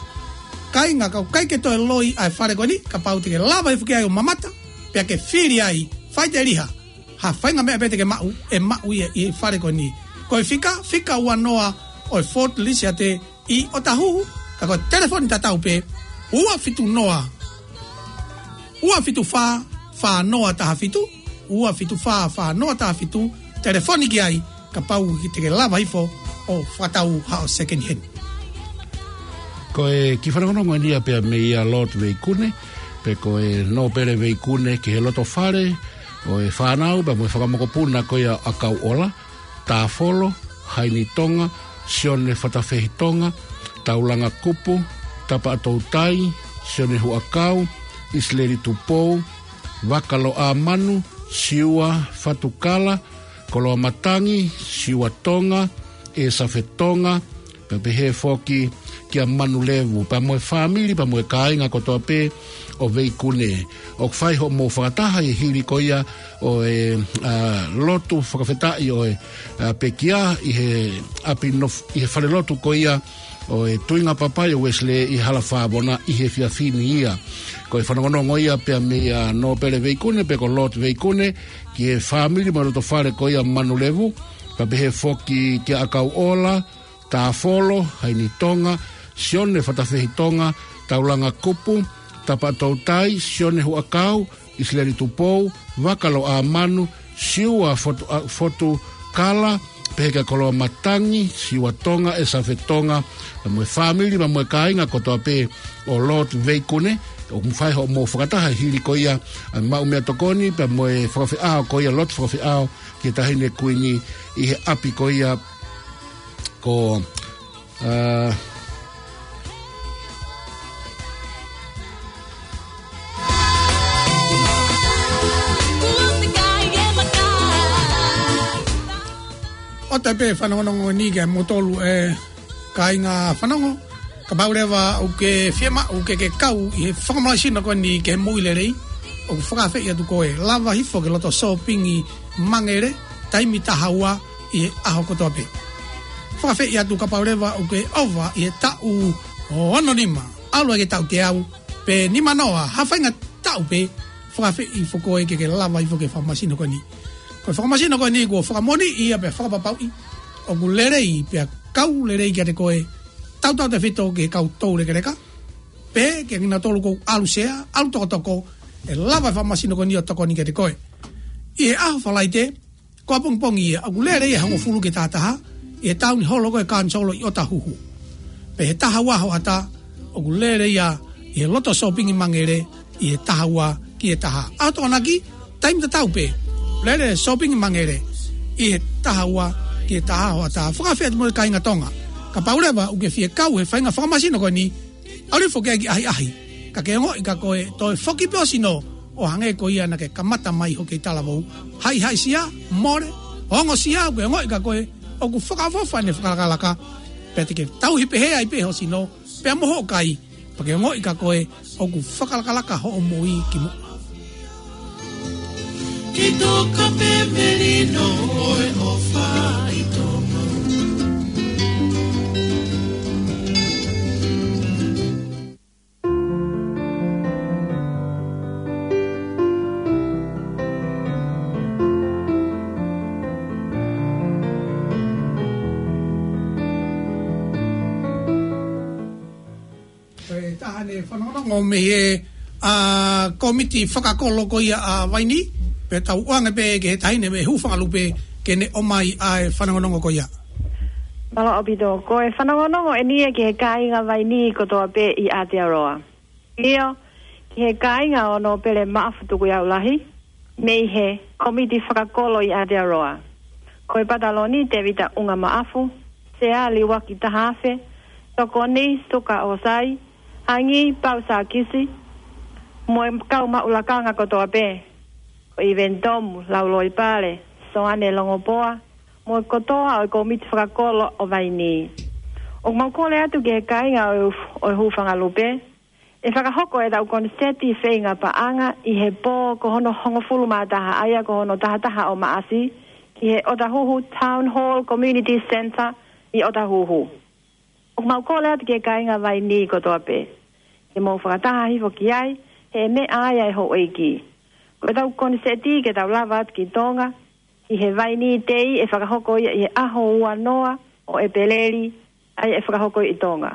Kāinga, ka ʻoku ʻikai ke toe loi ʻa e fale ko eni, kapau te ke lava hifo ki ai ʻo mamata, pea ke fili ai, faʻiteliha, ha faʻahinga meʻa pē te ke maʻu, ʻe maʻu ia ʻi he fale ko eni. Ko e fika, fika uanoa ʻo e Fort Lisiate ʻi Ōtāhuhu, ka ko e telefoni tatau pē, ua fitu noa, ua fitu fā, fā noa taha fitu, ua fitu fā, fā noa taha fitu, telefoni ki ai, kapau te ke lava hifo ʻo fakatau haʻo sekeniheni. Ko e kiʻi fanongonongo eni ia pea mei a Lord Veikune, pe ko e Nōpele Veikune ki he loto fale ʻo e fānau, pea mo e fanga mokopuna ko ia ʻa Kauʻola, Tāfolo, Haini Tonga, Sione Fatafehi Tonga, Taulanga Kupu, Tapaʻatoutai, Sione Huʻakau, ʻIsileli Tupou, Vakaloʻamanu, Siua Fatukala, Koloamatangi, Siua Tonga, ʻEsafe Tonga, pea pehē foki kia Manulevu, pea mo e fāmili, pea mo e kāinga kotoa pē ʻo Veikune. ʻOku fai hoʻomou fakataha ʻi he hili ko ia ʻo e, ā, lotu fakafetaʻi ʻo e, ā, pekia ʻi he ʻapi nof-, ʻi he falelotu ko ia ʻo e Tuinga Papai ʻo Uesile ʻi Hala Fāvona ʻi he efiafi ni ia. Ko e fanongonongo ia pea mei a Nōpele Veikune, pe ko Lord Veikune, ki he fāmili mo e loto fale ko ia Manulevu, pea pehē foki kia ʻAkauʻola, Tāfolo, Haini Tonga, Sione Fatafehi Tonga, Taulanga Kupu, Tapaʻatoutai, Sione Huʻakau, ʻIsileli Tupou, Vakaloʻamanu, Siua Fotu, ā, Fotukala, pehē kia Koloamatangi, Siua Tonga, ʻEsafe Tonga, pea mo e fāmili, pea mo e kāinga kotoa pē ʻo Lord Veikune, ʻoku fai hoʻomou fakataha hili ko ia ʻa e maʻu meʻatokoni, pea mo e fakafeʻao ko ia, lotu fakafeʻao ki he Taʻahine Kuini ʻi he ʻapi ko ia ko, ā, ʻoatu pē fanongonongo ni kia moutolu ʻe kāinga fanongo. Kapau leva ʻoku ke fiemaʻu ke ke kau ʻi he fakamalaisino ko eni ki he moʻui lelei, ʻoku fakaafeʻi atu koe, lava hifo ki he loto sōpingi Mangele, taimi taha ua ʻi he ʻaho kotoa pē. Fakaafeʻi atu kapau leva ʻoku ke ʻova ʻi he taʻu ʻo ono nima, ʻalu ai ki he taʻu teau, pe nima noa, ha faʻahinga taʻu pē, fakaafeʻi hifo koe ke ke lava hifo ki he fakamasino ko eni. Ko e fakamasino ko eni kuo fakamoʻoniʻi ia pea fakapapauʻi ʻoku lelei pea kau lelei kiate koe, tautautefito ki he kau toulekeleka, pe kia kinautolu ʻoku ʻalu sea, ʻalu tokotoko, ʻe lava e fakamasino ko eni ʻo tokoni kiate koe. ʻI he ʻaho Falaite, ko ʻapongipongi ia, ʻoku lele ia he hongofulu ki he taha taha, ʻi he tauniholo ko e Kanisolo ʻi ʻOtahuhu. Pea he taha ua hoʻatā, ʻoku lele ia ʻi he loto sōpingi Mangele, ʻi he taha ua ki he taha. ʻAho Tokonaki, taimi tatau pē, lele sōpingi Mangele, ʻi he taha ua ki he taha hoʻatā. Fakaafeʻi atu mo e kāinga Tonga. Kapau leva ʻoku ke fie kau he faʻahinga fakamasino ko eni, ʻalu hifo ki ai ki ʻahiʻahi. Ka ke ongoʻi ka ko e toe foki pē ʻo sino, ʻo hangē ko ia naʻa ke kamata mai hoʻo kei talavou. Haʻihaʻisia, mole, ongosia, ʻoku ke ongoʻi ka ko e ʻoku fakaʻofoʻofa ʻene fakalakalaka. Pea te ke tauhi pehē ai pē ho sino, pea mo hoʻo kai, pea ke ongoʻi ka ko e ʻoku fakalakalaka hoʻo moʻui ki muʻa. Ki toka pē melino ʻo e ʻofa ʻi Tonga. Ko e taha eni fanongonongo mei he, ā, kōmiti fakakolo ko ia ʻa Vaini, pea tau ʻoange pē ki he taʻahine mei Hūfangalupe ke ne ʻomai ʻa e fanongonongo ko ia. Mālō ʻaupito, ko e fanongonongo eni ia ki he kāinga Vaini kotoa pē ʻi Aotearoa. ʻIo, ki he kāinga ʻo Nōpele Maʻafu Tukuiaulahi, mei he kōmiti fakakolo ʻi Aotearoa. Ko e pataloni Tēvita ʻUngamaʻafu, Sea Liuaki Tahaafe, tokoni Suka ʻOsai, Hangi Pau Sākisi, mo e kau maʻu lakanga kotoa pē, ko ʻIveni Tomu, Lauloi Pale, Soane Longopoa, mo e kotoa ʻo e Kōmiti Fakakolo ʻo Vainī. ʻOku mau kole atu ki he kāinga ʻo e, ʻo e Hūfanga Lupe, ʻe fakahoko ʻetau koniseti feinga paʻanga ʻi he pō ko hono hongofulu mā taha, ʻa ia ko hono taha taha ʻo Maʻasi, ki he ʻOtahuhu Town Hall Community Centre ʻi ʻOtahuhu. ʻOku mau kole atu ki he kāinga Vainī kotoa pē ke mou fakataha hifo ki ai, he meʻa ia ʻe houʻeiki. Ko ʻetau koniseti ke tau lava atu ki Tonga, ʻi he Vainī Day, ʻe fakahoko ia ʻi he ʻaho ua noa ʻo ʻEpeleli, ʻa ia ʻe fakahoko ʻi Tonga.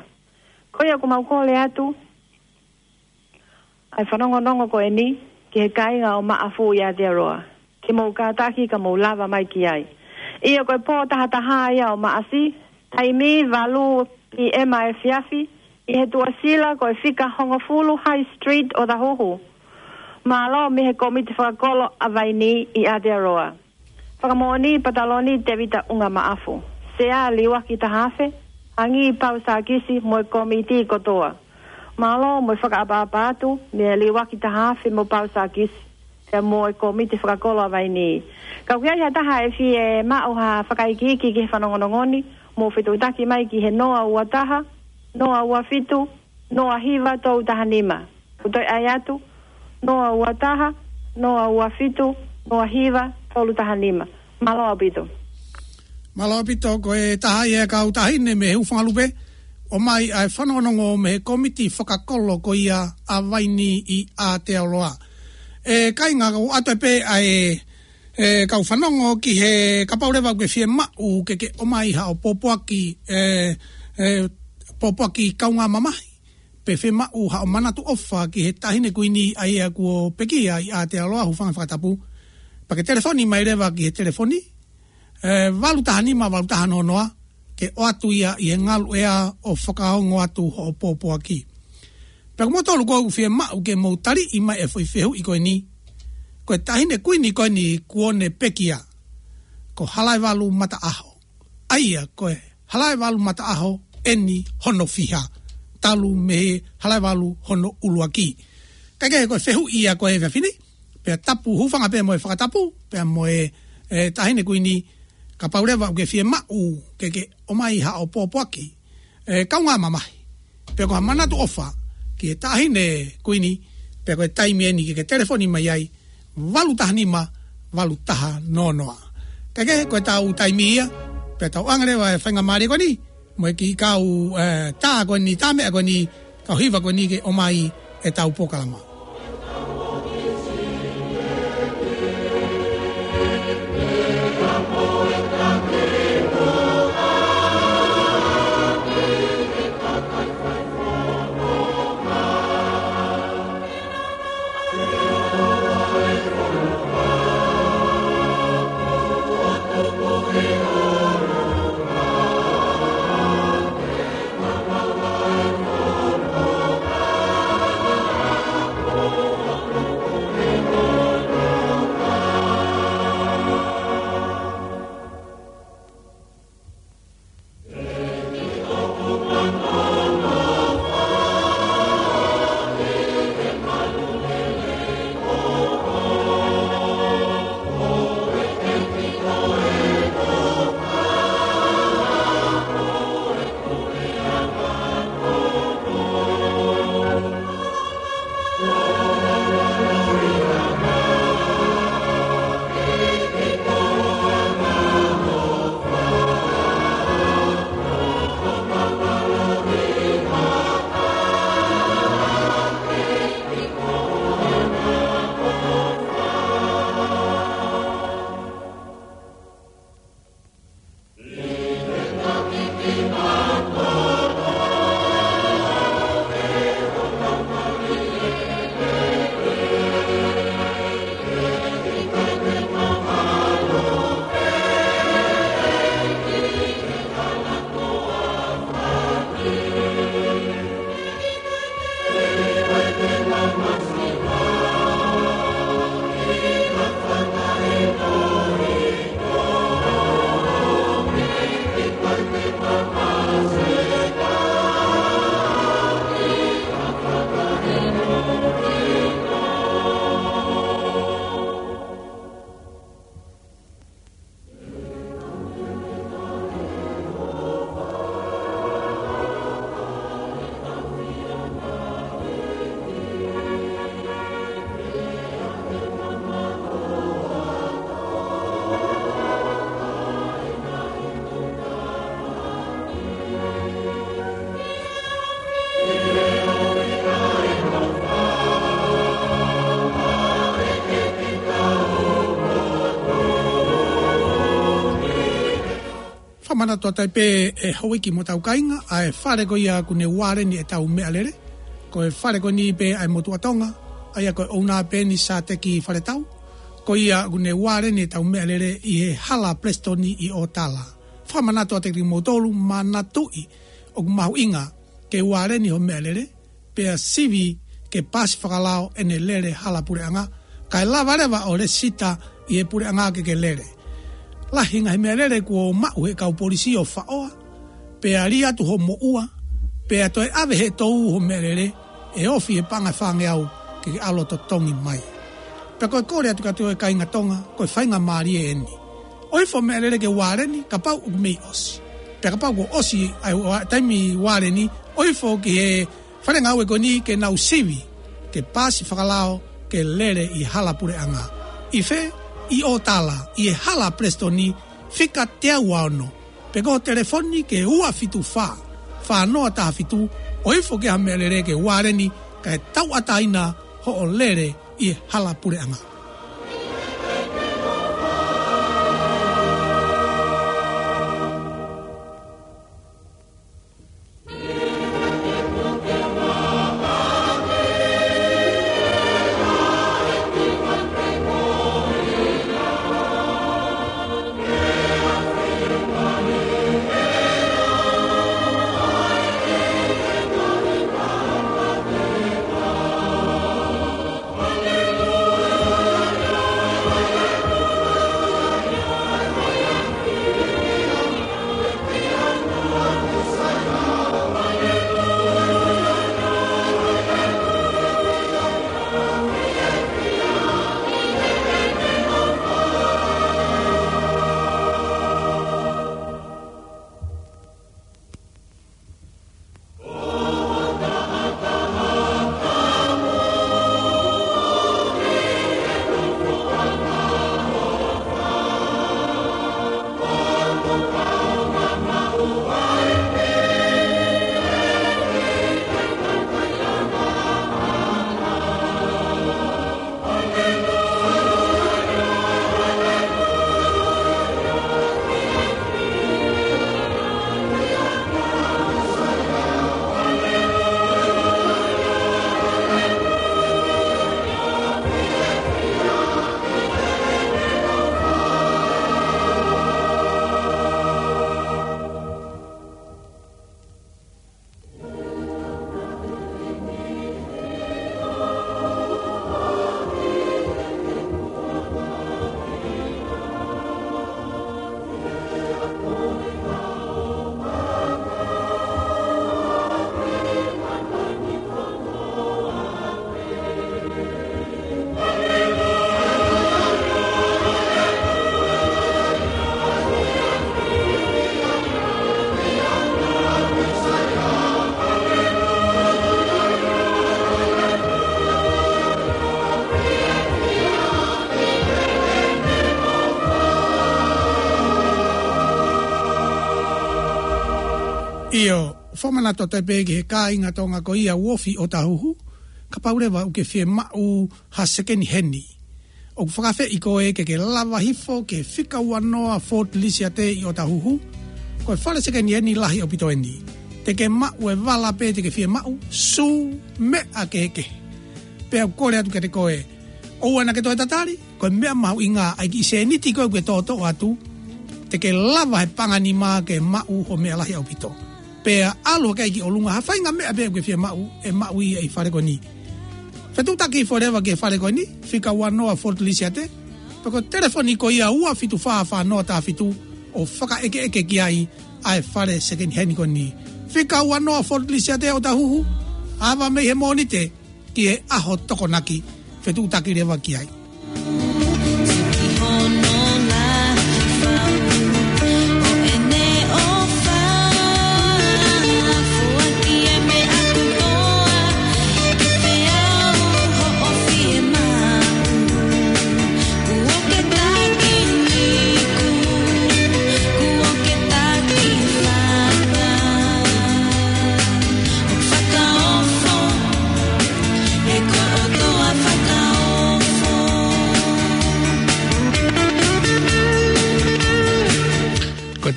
Ko ia ʻoku mau kole atu ʻa e fanongonongo ko eni ki he kāinga ʻo Maʻafu ʻi Aotearoa, ke mou kātaki ka mou lava mai ki ai. ʻIo, ko e pō taha taha ia ʻo Maʻasi, taimi valu P M ʻa e efiafi, ʻi he tuʻasila ko e fika hongofulu High Street ʻOtahuhu. Mālō mei he Kōmiti Fakakolo ʻa Vainī ʻi Aotearoa. Fakamoʻoni, Pataloni Tevita ʻUnga Maʻafu, Sea Liuaki Taha Afe, Hangi Pau Sākisi mo e kōmiti kotoa. Mālō mo e fakaʻapaʻapa atu mei a Liuaki Taha Afe mo Pau Sākisi, pea mo e Kōmiti Fakakolo ʻa Vainī. Ka ʻoku ʻi ai ha taha ʻe fie maʻu ha fakaikiiki ki he fanongonongo ni, mou fetuʻutaki mai ki he noa ua taha, noa ua fitu, noa hiva tolu taha nima. Ko e toe ʻai atu, noa ua taha, noa ua fitu, noa hiva tolu taha nima. Mālō ʻaupito. Mālō ʻaupito, ko e taha ia e kau taʻahine mei he Hūfanga Lupe, ʻomai ʻa e fanongonongo mei he Kōmiti Fakakolo ko ia ʻa Vainī ʻi Aotearoa. ʻE kāinga, ʻoatu pē ʻa e, ʻe kau fanongo ki he, kapau leva ʻoku ke fie maʻu ke ke ʻomai haʻo pōpoaki, ʻe, ʻe, pōpoaki kaungā mamahi, pe fie maʻu haʻo manatu ʻofa ki he Taʻahine Kuini ʻa ia kuo pekia ʻi Aotearoa, hūfanga he fakatapu, pea ke telefoni mai leva ki he telefoni, ʻe, valu taha nima valu taha noa noa, ke ʻoatu ia ʻi he ngaluʻea ʻo fakaongo atu hoʻo pōpoaki. Pea ko moutolu ʻoku fie maʻu ke mou taliʻi mai e foʻi fehuʻi ko eni, ko e Taʻahine Kuini ko eni kuo ne pekia, ko Halaevalu Mataʻaho. ʻA ia ko e Halaevalu Mataʻaho eni hono fiha, talu mei he Halaevalu hono ʻuluaki. Kae kehe, ko e fehuʻi ia ko e efiafi ni, pea tapu, hūfanga pē mo e fakatapu, pea mo e, ʻe, Taʻahine Kuini, kapau leva ʻoku ke fie maʻu ke ke ʻomai haʻo pōpoaki, ʻe, kaungā mamahi, pe ko ha manatu ʻofa ki he Taʻahine Kuini, pea ko e taimi eni ke ke telefoni mai ai, valu taha nima valu taha noa noa. Kae kehe, ko ʻetau taimi ia, pea tau ʻoange leva e faingamālie ko eni mo e kiʻi kau, ʻe, tā ko eni, tā meʻa ko eni, kau hiva ko eni ke ʻomai ʻetau polokalama. Manatu atu ai pē ʻe houʻeiki mo hotau kāinga, ʻa e fale ko ia ʻoku ne ualeni ʻetau meʻalele. Ko e fale ko eni pē ʻa e motuʻa Tonga, ʻa ia ko e ʻouna pē eni Sateki Faletau. Ko ia ʻoku ne ualeni ʻetau meʻalele ʻi he Hala Palesitoni ʻi ʻOtala. Fakamanatu atu kiate kimoutolu, manatuʻi ʻoku mahuʻinga ke ualeni ho meʻalele, pea sivi ke paasi fakalao ʻene lele hala puleʻanga, kae lava leva ʻo lēsisita ʻi he puleʻanga ke ke lele. Lahi e ngaahi meʻalele kuo maʻu he kau polisi ʻo faʻoa, pea lī atu ho moʻua, pea toe ʻave he tou ho meʻalele, ʻe ofi he paʻanga ʻe fāngeau ke ke ʻalu ʻo totongi mai. Pea ko e kole atu kiate koe kāinga Tonga, ko e faingamālie eni. ʻOi fo meʻalele ke ualeni, kapau ʻoku mei ʻosi. Pea kapau kuo ʻosi ʻa e ua-, taimi ualeni, ʻoifo ki he fale ngāue ko eni ke nau sivi ke paasi fakalao ke lele ʻi hala puleʻanga. ʻI fē? ʻI ʻOtala, ʻi he Hala Palesitoni, fika teau ua ono. Pe ko e telefoni ki he ua fitu fā, fā noa taha fitu, ʻoifo ki ha meʻalele ke ualeni kae tauʻatāina hoʻo lele ʻi he hala puleʻanga. ʻIo, fakamanatu atu ai pē ki he kāinga Tonga ko ia ʻoku ofi ʻi ʻŌtāhuhu, kapau leva ʻoku ke fiemaʻu ha sekeni heni. ʻOku fakaafeʻi koe ke ke lava hifo ki he fika ua noa Ford Lisiate ʻi ʻŌtāhuhu. Ko e fale sekeni heni lahi ʻaupito eni. Te ke maʻu e vala pē te ke fiemaʻu, sū, meʻa kehekehe. Pea ʻoku kole atu kiate koe, ʻoua naʻa ke toe tatali, ko e meʻa mahuʻinga ʻa e kiʻi sēniti ko ē ʻoku ke toʻotoʻo atu, te ke lava he paʻanga nima ke maʻu ho meʻa lahi ʻaupito. Pea ʻalu hake ai ki ʻolunga, ha faʻahinga meʻa pē ʻoku ke fiemaʻu, ʻe maʻu ia ʻi he fale ko eni. Fetuʻutaki hifo leva ki he fale ko eni, fika ua noa Ford Lisiate, pe ko e telefoni ko ia ua fitu fā fā noa taha fitu ʻo fakaʻekeʻeke ki ai ʻa e fale sekeni heni ko eni. Fika ua noa Ford Lisiate ʻOtāhuhu, ava mei he Mōnite ki he ʻaho Tokonaki, fetuʻutaki leva ki ai.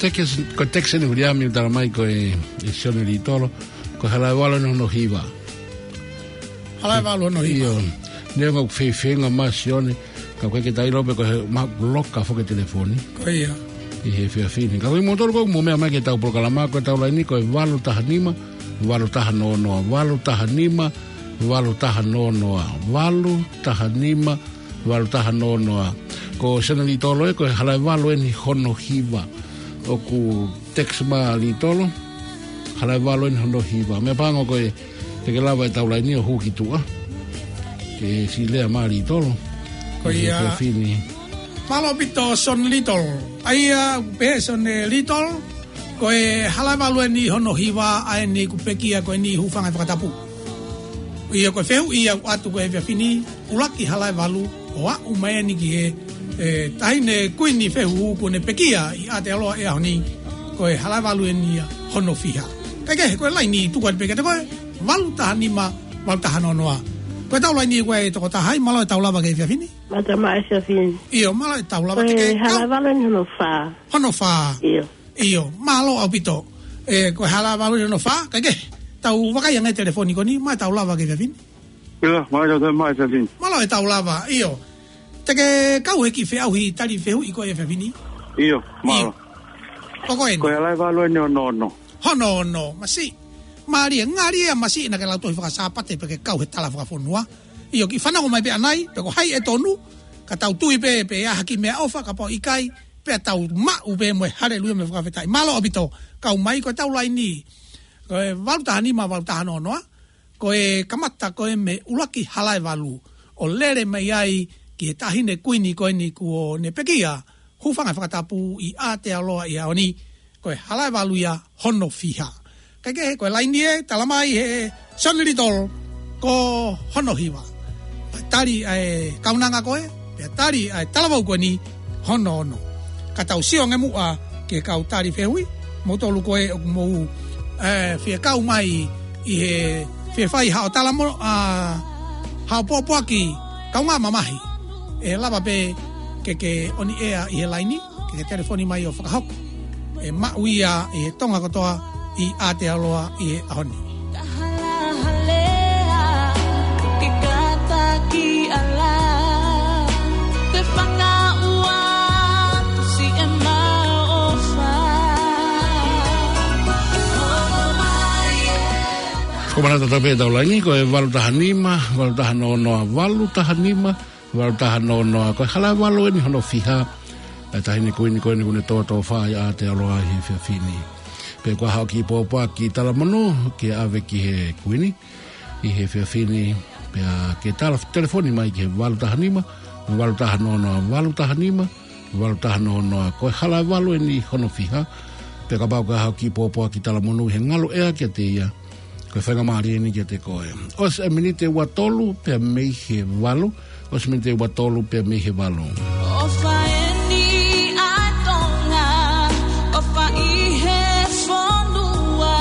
Ko e text eni Viliami ʻoku tala mai ko e, ʻe Sione Litolo, ko e hala ʻe valu eni hono hiva. Hala ʻe valu hono hiva. ʻIo, neongo ʻoku fefenga mai Sione, ka ʻoku ʻikai ke ta ʻilo pe ko e hā, mahalo ʻoku loka foki e telefoni. Ko ia. ʻI he efiafi ni. Ka ko kimoutolu ʻoku mou meʻa mai ki heʻetau polokalama, ko ʻetau laini ko e valu taha nima, valu taha noa noa, valu taha nima, valu taha noa noa, valu taha nima, valu taha noa noa. Ko Sione Litolo ē, ko e hala ʻe valu eni hono hiva. ʻOku text mai ʻa Litolo, hala ʻe valu eni hono hiva. Meʻapango ko e, te ke lava ʻetau laini ʻo hū ki tuʻa. Ke siʻi lea mai ʻa Litolo. Ko ia. He efiafi ni. Mālō ʻaupito Sione Litolo. ʻA ia, pehē Sione Litolo, ko e hala ʻe valu eni hono hiva ʻa eni kuo pekia ko eni hūfanga he fakatapu. ʻIo ko e fehuʻi ia ʻoku ʻatu ko e efiafi ni, ʻuluaki hala ʻe valu, ʻo aʻu mai eni ki he, ʻe, taʻahine kuini fehuhu kuo ne pekia ʻi Aotearoa ʻi he ʻaho ni, ko e hala ʻe valu eni ia hono fiha. Kae kehe, ko e laini tuku atu pē kiate koe, valu taha nima, valu taha noa noa. Ko ʻetau laini ko e tokotaha ia, mālō e tau lava ki he efiafi ni. Mālō e tau lava. ʻIo, mālō e tau lava. Ko e hala ʻe valu eni hono fā. Hono fā. ʻIo. ʻIo, mālō ʻaupito. ʻE, ko e hala ʻe valu eni hono fā, kae kehe, tau vakai ange telefoni ko eni, mālō e tau lava ki he efiafi ni. ʻIo, mālō e tau lava. ʻIo. Te ke kau he kiʻi feʻauhi tali fehuʻi ko e efiafi ni? ʻIo, mālō. Ko koe eni. Ko e hala ʻe valu eni hono ono. Hono ono, masiʻi. Mālie, ngali ia masiʻi naʻa ke lau tohi faka-Sāpate pea ke kau he tala fakafonua. ʻIo, kiʻi fanongo mai pē ʻanai, pe ko hai ʻe tonu, ka tau tui pē, pe ʻe ʻi ai ha kiʻi meʻaʻofa, kapau ʻikai, pea tau maʻu pē mo e haleluia mo e fakafetaʻi. Mālō ʻaupito, kau mai ko ʻetau laini. Ko e valu taha nima, valu taha noa noa, ko e kamata ko e mei he ʻuluaki hala ʻe valu, ʻo lele mai ai ki he taʻahine kuini ko eni kuo ne pekia, hūfanga he fakatapu ʻi Aotearoa ʻi he ʻaho ni, ko e hala ʻe valu ia hono fiha. Kae kehe, ko e laini ē, tala mai ʻe Sione Litolo, ko hono hiva. Tali ʻa e kaunanga ko ē, pea tali ʻa e talavou ko eni, hono ono. Ka tau sio ange muʻa ki he kau tali fehuʻi, moutolu ko ē ʻoku mou, ʻe, fie kau mai ʻi he fie fai haʻo talamo-, ʻa, haʻo pōpoaki kaungā mamahi. ʻE lava pē ke ke ʻoni ʻea ʻi he laini, ke ke telefoni mai ʻo fakahoko e maʻu ia ʻe he Tonga kotoa ʻi Aotearoa ʻi he ʻaho ni. Tahalahalea, ke kātaki ʻala, te fakaʻuaʻu siʻema ʻofa. Ko e manatu atu pē ʻetau laini, ko e valu taha nima, valu taha noa noa, valu taha nima, valu taha noa noa, ko e hala ʻe valu eni hono fiha, ʻa e taʻahine kuini ko eni kuo ne tōtōfā ʻi Aotearoa ʻi he efiafi ni. Pea ko haʻo kiʻi pōpoaki talamonū ke ʻave ki he kuini ʻi he efiafi ni, pea ke tala telefoni mai ki he valu taha nima, valu taha noa noa, valu taha nima, valu taha noa noa, ko e hala ʻe valu eni hono fiha, pea kapau ko haʻo kiʻi pōpoaki talamonū he ngalo ʻea kiate ia, ko e faingamālie eni kiate koe. ʻOsi e miniti ʻe ua tolu pea mei he valu. ʻOsi e miniti ʻe ua tolu pea mei he valu. ʻOfa eni ʻa Tonga, ʻofa ʻi he fonua,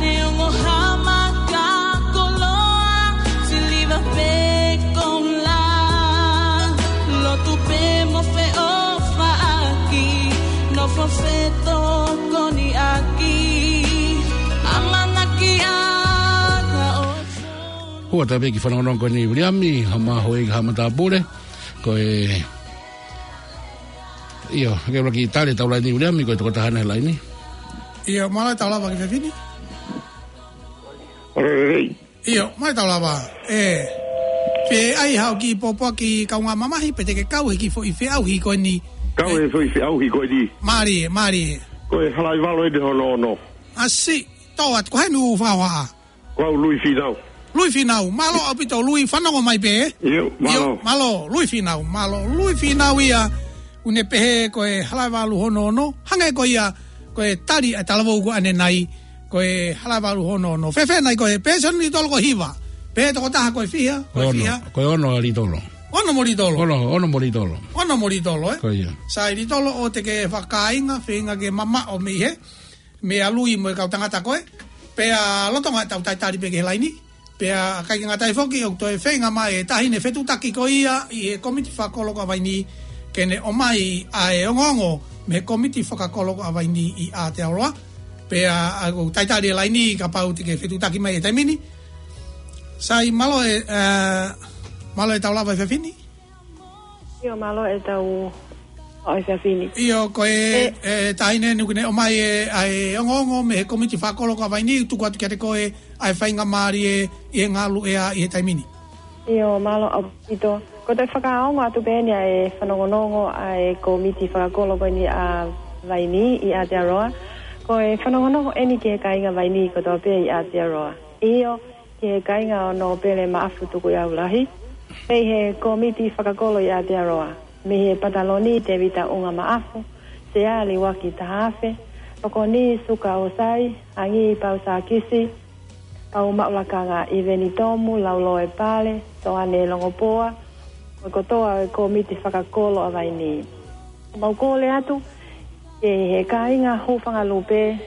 neongo ha maka koloa, siliva pe koula, lotu pe mo feʻofaʻaki, nofo fetokoniʻaki, ʻamanaki ʻa ka o. Hū atu pē ki he fanongonongo ko eni Viliami, ha maho e ha matāpule, ko e, ʻio, ke ula ki tali ʻetau laini Viliami, ko e tokotaha ʻi he laini. ʻIo, mālō e tau lava ki he efiafi ni. ʻIo, mālō e tau lava. ʻE, pe ʻai haʻo kiʻi pōpoaki kaungā mamahi, pe te ke kau he kiʻi foʻi feʻauhi ko eni. Kau he foʻi feʻauhi ko eni. Mālie, mālie. Ko e hala ʻe valu eni hono ono. ʻAsi, tō atu, ko hai ʻoku fakahohaʻa? Ko au Lui Finau. Lui Finau, mālō ʻaupito Lui, fanongo mai pē. ʻIo, mālō. ʻIo, mālō, Lui Finau, mālō, Lui Finau ia, ʻoku ne pehē ko e hala ʻe valu hono ono, hangē ko ia, ko e tali ʻa e talavou ko ʻanenai, ko e hala ʻe valu hono ono. Fēfē nai ko e pēsoni Litolo ko e hiva, pe tokotaha ko e fiha, ko e fiha. Ono, ko e ono ʻa Litolo. Ono mo Litolo. Ono, ono mo Litolo. Ono mo Litolo, ē? Ko ia. Sai Litolo ʻoua te ke fakakāinga, feinga ke mamaʻo mei he meʻa Lui mo e kau tangata ko ē. Pea lolotonga ʻetau talitali pē ki he laini. Pea ʻikai ke ngata ai foki ʻoku toe feinga mai e taʻahine fetuʻutaki ko ia ʻi he kōmiti fakakolo ko ē ʻa Vainī ke ne ʻomai ʻa e ongoongo mei he Kōmiti Fakakolo ko ʻAvaini ʻi Aotearoa. Pea ʻoku talitali e laini kapau te ke fetuʻutaki mai he taimi ni. Sai, mālō e, ē, mālō e tau lava he efiafi ni. ʻIo, mālō e tau lava he efiafi ni. ʻIo, ko e, ē, ē, taʻahine ʻoku ne ʻomai e, ʻa e ongoongo mei he Kōmiti Fakakolo ko ʻAvaini, tuku atu kiate koe ʻa e faingamālie ʻi he ngaluʻea ʻi he taimi ni. ʻIo, mālō ʻaupito. Ko e toe fakaongo atu pē eni ʻa e fanongonongo ʻa e Kōmiti Fakakolo ko eni ʻAvaini ʻi Aotearoa. Ko e fanongonongo eni ki he kāinga Vaini kotoa pē ʻi Aotearoa. ʻIo, ki he kāinga ʻo Nōpele Maʻafu Tukuʻiau Lahi. Mei he Kōmiti Fakakolo ʻi Aotearoa. Mei he Pataloni Tēvita ʻUnga Maʻafu, Sea Liuaki Tahaafe, Tokoni Suka ʻOsai, Angi Pausakisi, Pau Maʻulakanga, ʻIveni Tomu, Lauloe Pale, Toane Longopoa, mo e kotoa e Kōmiti Fakakolo ʻAvaini. Mau kole atu, ki he kāinga Hūfangalupe,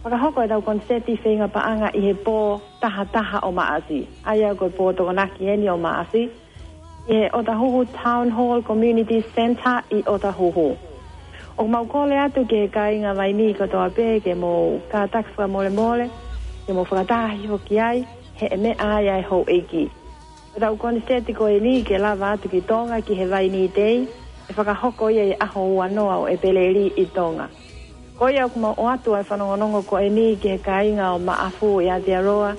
fakahoko ʻetau koniseti feinga paʻanga ʻi he pō taha taha ʻo Maʻasi. ʻA ia ko e pō Tokonaki eni ʻo Maʻasi. ʻI he ʻOtahuhu Town Hall Community Centre ʻi ʻOtahuhu. ʻOku mau kole atu ki he kāinga Vaini kotoa pē ke mou kātaki fakamolemole, ke mou fakataha hifo ki ai, he ʻe meʻa ai ʻa e houʻeiki. ʻEtau koniseti ko eni ke lava atu ki Tonga ki he Vaini Day, ʻe fakahoko ia ʻi he ʻaho ua noa ʻo ʻEpeleli ʻi Tonga. Ko ia ʻoku mau ʻoatu ʻa e fanongonongo ko eni ki he kāinga ʻo Maʻafu ʻi Aotearoa,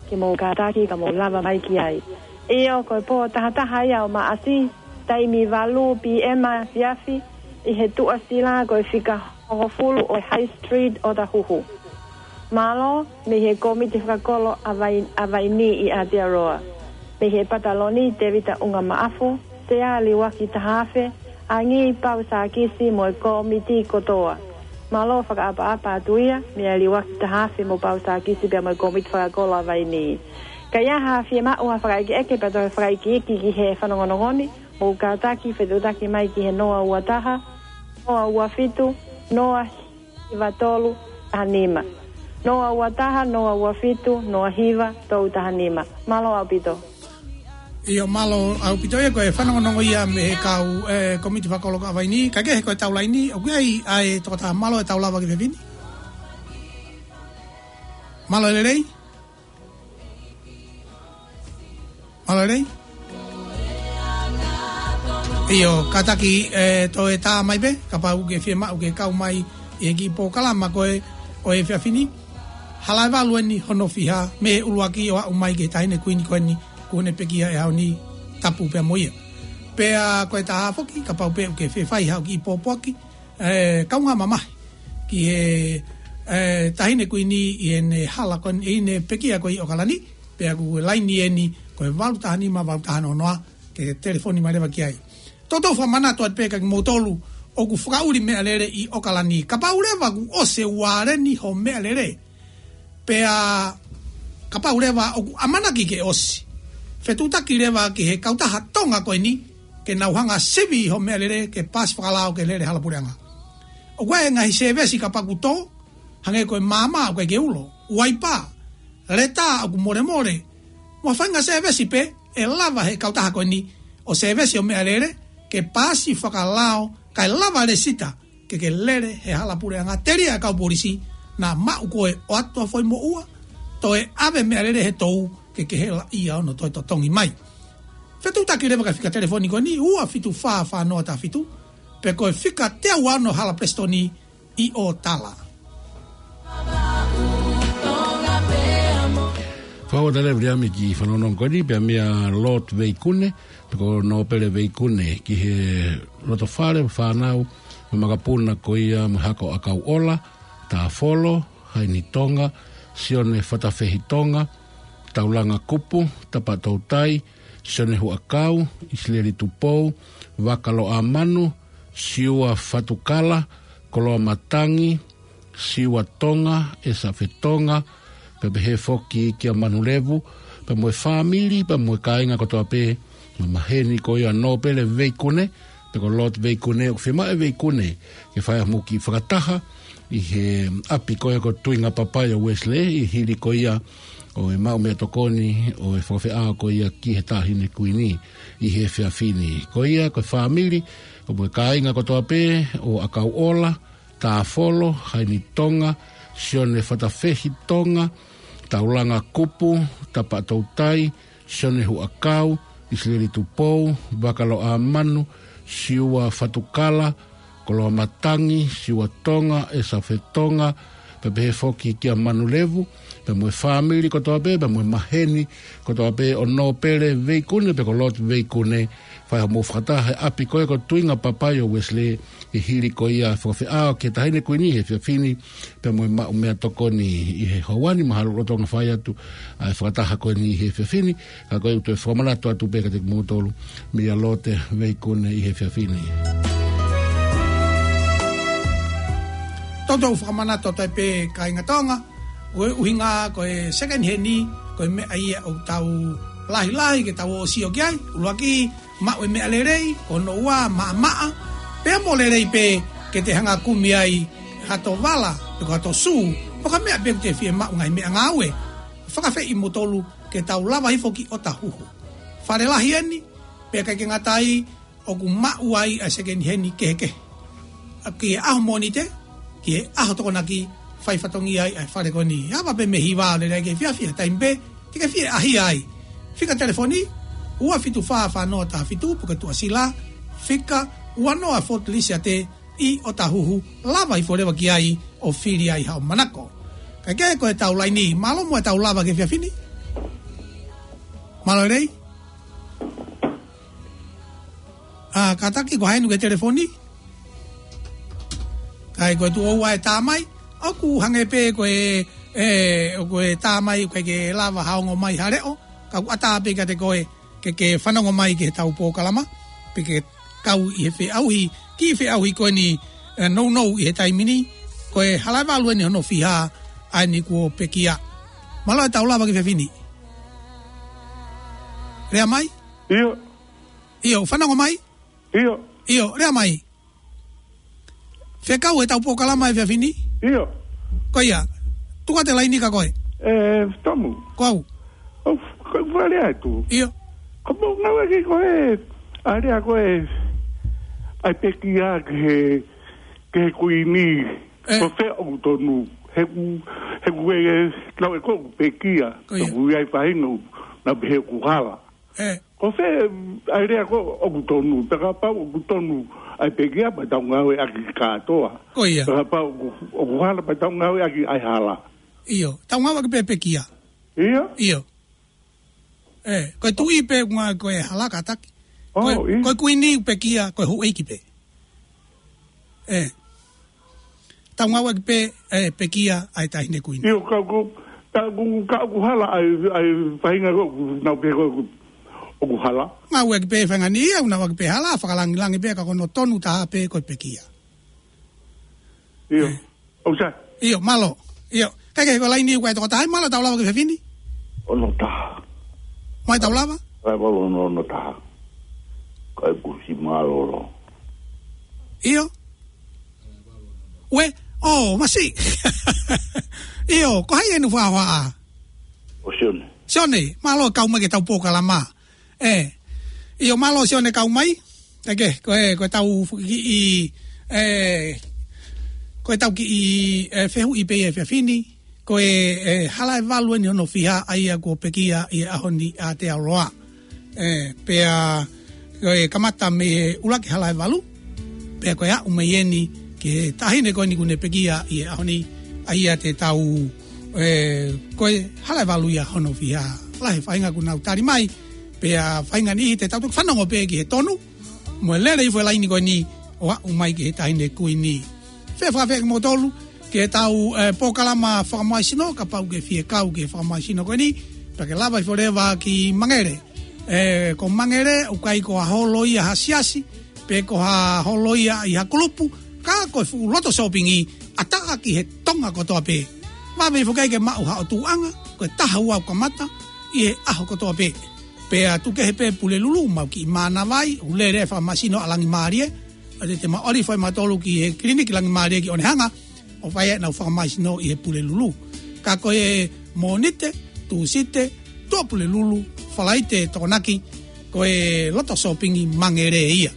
ke mou kātaki ka mou lava mai ki ai. ʻIo, ko e pō taha taha ia ʻo Maʻasi, taimi valu P M efiafi, ʻi he tuʻasila ko e fika hongofulu ʻo e High Street ʻOtahuhu. Mālō, mei he Kōmiti Fakakolo ʻAvai-, ʻAvaini ʻi Aotearoa. Mei he Pataloni Tēvita ʻUnga Maʻafu, Sea Liuaki Tahaafe, Angi Pausakisi mo e kōmiti kotoa. Mālō fakaʻapaʻapa atu ia, meia Liuaki Tahaafe mo Pausakisi pea mo e Kōmiti Fakakolo ʻAvaini. Ka ʻi ai ha fiemaʻu ha fakaʻekeʻeke pea toe fakaikiiki ki he fanongonongo ni, mou kātaki fetuʻutaki mai ki he noa ua taha, noa ua fitu, noa hiva tolu taha nima. Noa ua taha, noa ua fitu, noa hiva tolu taha nima. Mālō ʻaupito. ʻIo, mālō ʻaupito ia, ko e fanongonongo ia mei he kau, ē, Kōmiti Fakakolo ko ʻAvaini, kae kehe ko e tau laini, ʻoku ʻi ai ʻa e tokotaha, mālō e tau lava ki he efiafi ni. Mālō e lelei. Mālō e lelei. ʻIo, kātaki, ē, toe tā mai pē, kapau ʻoku ke fiemaʻu ke kau mai ʻi he kiʻi polokalama ko ē ʻo e efiafi ni. Hala ʻe valu eni hono fiha, mei he ʻuluaki ʻo aʻu mai ki he taʻahine kuini ko eni, kuo ne pekia he ʻaho ni, tapu pea mo ia. Pea ko e taha foki, kapau pē ʻoku ke fie fai haʻo kiʻi pōpoaki, ē, kaungā mamahi ki he, ē, taʻahine kuini ʻi heʻene hala ko eni, ʻi heʻene pekia ko ē ʻi ʻOkalani, pea ko e laini eni ko e valu taha nima, valu taha noa noa, ke telefoni mai leva ki ai. Toutou fakamanatu atu pē kia kimoutolu ʻoku fakaʻuli meʻalele ʻi ʻOkalani. Kapau leva kuo ʻosi e uāleni ho meʻalele, pea kapau leva ʻoku ʻamanaki ke ʻosi, fetuʻutaki leva ki he kautaha Tonga ko eni, ke nau hanga sivi ho meʻalele ke paasi fakalao ke lele hala puleʻanga. ʻOku ʻi ai e ngaahi sēvesi kapau ʻoku tō, hangē ko e maama ʻoku ʻikai ke ulo, uaipa, leta ʻoku molemole, mo ha faʻahinga sēvesi pē ʻe lava he kautaha ko eni ʻo sēvesi ho meʻalele, ke paasi fakalao, kae lava lēsisita, ke ke lele he hala puleʻanga. Telia e kau polisi, naʻa maʻu koe ʻo ʻatu ha foʻi moʻua, toe ʻave meʻalele he tou, ke ke hela ia ʻo nau toe totongi mai. Fetuʻutaki leva ki he fika telefoni ko eni, ua fitu fā fā noa taha fitu, pe ko e fika teau ua ono Hala Palesitoni ʻi ʻOtala. Fakaʻofoʻofa lelei ʻa e kiʻi fanongonongo ko eni, pea meia Lord Veikune, pe ko Nōpele Veikune, ki he loto fale, fānau, mo e makapuna ko ia mo e hako ʻakau ʻola, Tāfolo, Haini Tonga, Sione Fatafehi Tonga, Taulanga Kupu, Tapa Toutai, Sione Huʻakau, ʻIsileli Tupou, Vakaloʻamanu, Siua Fatukala, Koloa Matangi, Siua Tonga, ʻEsa Fetonga, pea pehē foki kia Manulevu, pea mo e fāmili, pea mo e kāinga kotoa pē, mo e maheni ko ia Nōpele Veikune, pe ko Lord Veikune, ʻoku fiemaʻu ʻe Veikune ke fai ha kiʻi fakataha ʻi he ʻapi ko ia ko Tuingapapai ʻa Wesley, ʻi he hili ko ia ʻo e maʻu meʻatokoni ʻo e fakafeʻao ko ia ki he Taʻahine Kuini ʻi he efiafi ni. Ko ia, ko e fāmili, ko e kāinga kotoa pē ʻo ʻAkauʻola, Tāfolo, Haini Tonga, Sione Fatafehi Tonga, Taulanga Kupu, Tapa Toutai, Sione Huʻakau, ʻIsileli Tupou, Vakaloʻamanu, Siua Fatukala, Koloa Matangi, Siua Tonga, ʻEsafe Tonga, pea pehē foki kia Manu Levu, pea mo e fāmili kotoa pē, pea mo e maheni kotoa pē ʻo Nōpele Veikune, pea ko Lot Veikune, fai hoʻomou fakataha he ʻapi ko ē ko Tuinga Papai ʻo Uesilē, ʻi he hili ko ia fakafeʻao ki he Taʻahine Kuini he efiafi ni, pea mo e maʻu meʻatokoni ʻi he houa ni. Mahalo lolotonga fai atu ʻa e fakataha ko eni he efiafi ni, ka ko e ʻutu e fakamanatu atu pē kiate kimoutolu, meia Lote Veikune ʻi he efiafi ni. Toutou fakamanatu atu ai pē kāinga Tonga, ko e ʻuhinga ko e second hand, ko e meʻa ia ʻoku tau lahilahi ke tau ō ʻo sio ki ai, ʻuluaki, maʻu e meʻa lelei, ko hono ua maʻamaʻa, pea mo lelei pē ke te hanga kumi ai hato vala, pe ko hato sū, pe ko ha meʻa pē ʻoku te fie maʻu ngaahi meʻangāue. Fakaafeʻi kimoutolu ke tau lava hifo ki ʻOtahuhu. Fale lahi eni, pea ʻikai ke ngata ai, ʻoku maʻu ai ʻa e second hand kehekehe. ʻA ki he ʻaho Mōnite, ki he ʻaho Tokonaki, fai fatongia ai ʻa e fale ko eni. Ava pē mei he hiva ʻo lele ai ki he efiafi, taimi pē te ke fie ʻaʻahi ai. Fika telefoni, ua fitu fā fā noa taha fitu, pe ko e tuʻasila, fika ua noa Fort Lisiate ʻi ʻOtahuhu, lava hifo leva ki ai ʻo fili ai haʻo manako. Kae kehe, ko e tau laini, mālō muʻa e tau lava ki he efiafi ni. Mālō lelei. ʻA, kātaki, ko hai ʻoku ʻi he telefoni? Kae ko e tuʻo ua e tā mai, ʻoku hangē pē ko e, ē, ʻoku ʻi ai e tā mai ʻoku ʻikai ke lava ha ongo mai ha leʻo, ka ʻoku ʻatā pē kiate koe ke ke fanongo mai ki he tau polokalama, pe ke kau ʻi he feʻauhi, kiʻi feʻauhi ko eni, ē, nounou ʻi he taimi ni, ko e hala ʻe valu eni hono fiha ʻa eni kuo pekia. Mālō e tau lava ki he efiafi ni. Lea mai? ʻIo. ʻIo, fanongo mai? ʻIo. ʻIo, lea mai. Fekau e tau polokalama he efiafi ni? ʻIo. Ko ia, tuku atu e laini kia koe. Ē, Tomu. Ko au. ʻOku ou fie lea atu. ʻIo. Ko hoʻomou ngāueʻaki ko ē ʻa e lea ko ē ʻa e pekia ki he, ki he kuini. Ē. Ko fē ʻoku tonu? He ʻoku, he ʻoku ʻi ai e, naʻe ʻikai ko ē ʻoku pekia. Ko ia. ʻOku ʻi ai e faʻahinga ʻoku nau pehē ʻoku hala. Ē. Ko fē ʻa e lea ko ē ʻoku tonu? Pea kapau ʻoku tonu ʻa e pekia, pea tau ngāueʻaki kātoa. Ko ia. Pea kapau ʻoku, ʻoku hala, pea tau ngāueʻaki ʻa e hala. ʻIo, tau ngāueʻaki pē pekia. ʻIo? ʻIo. Ē, ko e tuʻi pē ʻoku ngāueʻaki ko e hala, kātaki. ʻŌ, ko e, ʻio. Ko e kuini pekia, ko e houʻeiki pē. Ē. Tau ngāueʻaki pē, ē, pekia ʻa e Taʻahine Kuini. ʻIo, ka ʻoku, ka ʻoku, ka ʻoku hala ʻa e, ʻa e faʻahinga ko ē ʻoku nau pehē ko ē ʻoku, ʻoku hala. Ngāueʻaki pē faʻahinga ni ia, ngāueʻaki pē hala, fakalangilangi pē, ka ko hono tonu taha pē ko e pekia. ʻIo. Ē. ʻOku sai. ʻIo, mālō. ʻIo. Kae kehe, ko e laini ʻoku ʻi ai e toko taha, mālō, tau lava ki he efiafi ni. Ono taha. Mai tau lava? Hala ʻe valu ono, ono taha. Kae kusi mālōlō. ʻIo. Ue, ʻō, masiʻi. ʻIo, ko hai eni ʻoku fakahohaʻa? Ko Sione. Sione, mālō e kau mai ki he tau polokalama. Ē. ʻIo, mālō Sione kau mai. Eke, ko e, ko e tau kiʻi, ē, ko e tau kiʻi, ē, fehuʻi pē he efiafi ni. Ko e, ē, hala ʻe valu eni hono fiha ʻa ia kuo pekia ʻi he ʻaho ni ʻa Aotearoa. Ē, pea, ko e kamata mei he ʻuluaki hala ʻe valu, pea ko e aʻu mai eni ki he Taʻahine ko eni kuo ne pekia ʻi he ʻaho ni, ʻa ia te tau, ē, ko e hala ʻe valu ia hono fiha. Lahi e faʻahinga kuo nau tali mai, pea faʻahinga niʻihi te tau toki fanongo pē ki he tonu, mo e lele hifo e laini ko eni ʻo aʻu mai ki he Taʻahine Kuini. Fie fakaafeʻi kimoutolu ki he tau, ē, polokalama Fakamoaisino, kapau ʻoku ke fie kau ki he Fakamoaisino ko eni, pea ke lava hifo leva ki Mangele. Ē, ko Mangele, ʻoku ʻikai ko ha holo ia ha siasi, pe ko ha holo ia ʻi ha kulupu, ka ko e fuʻu loto sōpingi, ʻatā ki he Tonga kotoa pē. Vave hifo ke maʻu haʻo tuʻuʻanga, ko e taha ua ʻoku kamata ʻi he ʻaho kotoa pē. Pea tuku kehe pē Pulelulu, mau kiʻi mānava ai, ʻoku lele e Fakamoaisino ʻa Langimālie, ʻa ia te mau ʻalu hifo ʻe mautolu ki he kiliniki Langimālie ki ʻOnehanga, ʻo fai ai ʻenau Fakamoaisino ʻi he Pulelulu. Ka ko e Mōnite, Tūsite, Tuʻapulelulu, Falaite Tokonaki, ko e loto sōpingi Mangere ia.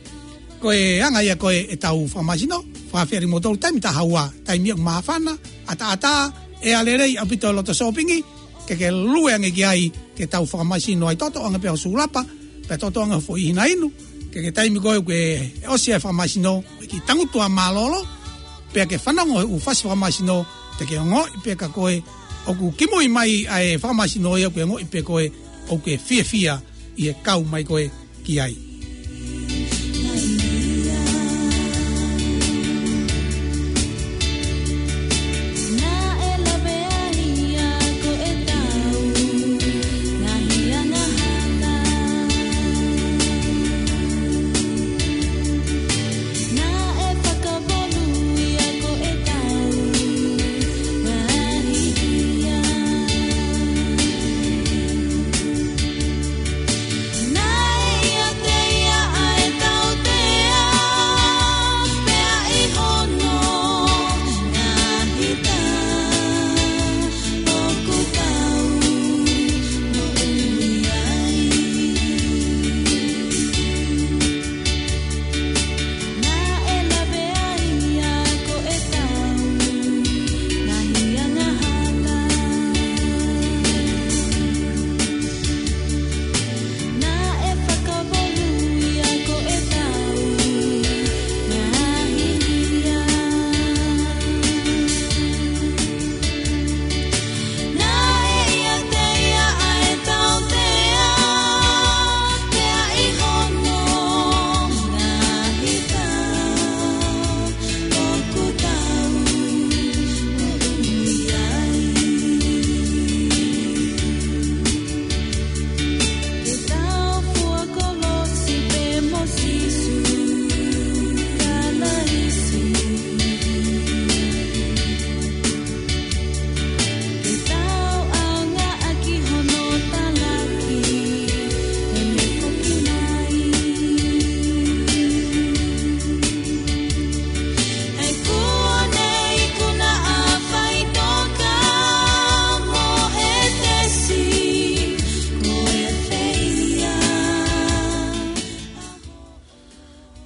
Ko e anga ia ko ē ʻetau fakamāsino, fakafeʻiloaki mo tolu taimi taha ua, taimi ʻoku māfana, ʻataʻatā, ʻe ʻa lelei ʻaupito e loto sōpingi, ke ke lue ange ki ai ke tau fakamāsino ai tōtō ange pē ho sulapa, pea tōtō ange ho foʻi hina inu, ke ke taimi ko ē ke ʻosi ai e fakamāsino, ke ke tangutu ā mālōlō, pea ke fanongo he ʻū fasi fakamāsino, te ke ongoʻi pē ka ko ē ʻoku kimui mai ʻa e fakamāsino ia, ke ongoʻi pē ko ē ʻoku ke fiefia ʻi he kau mai ko ē ki ai.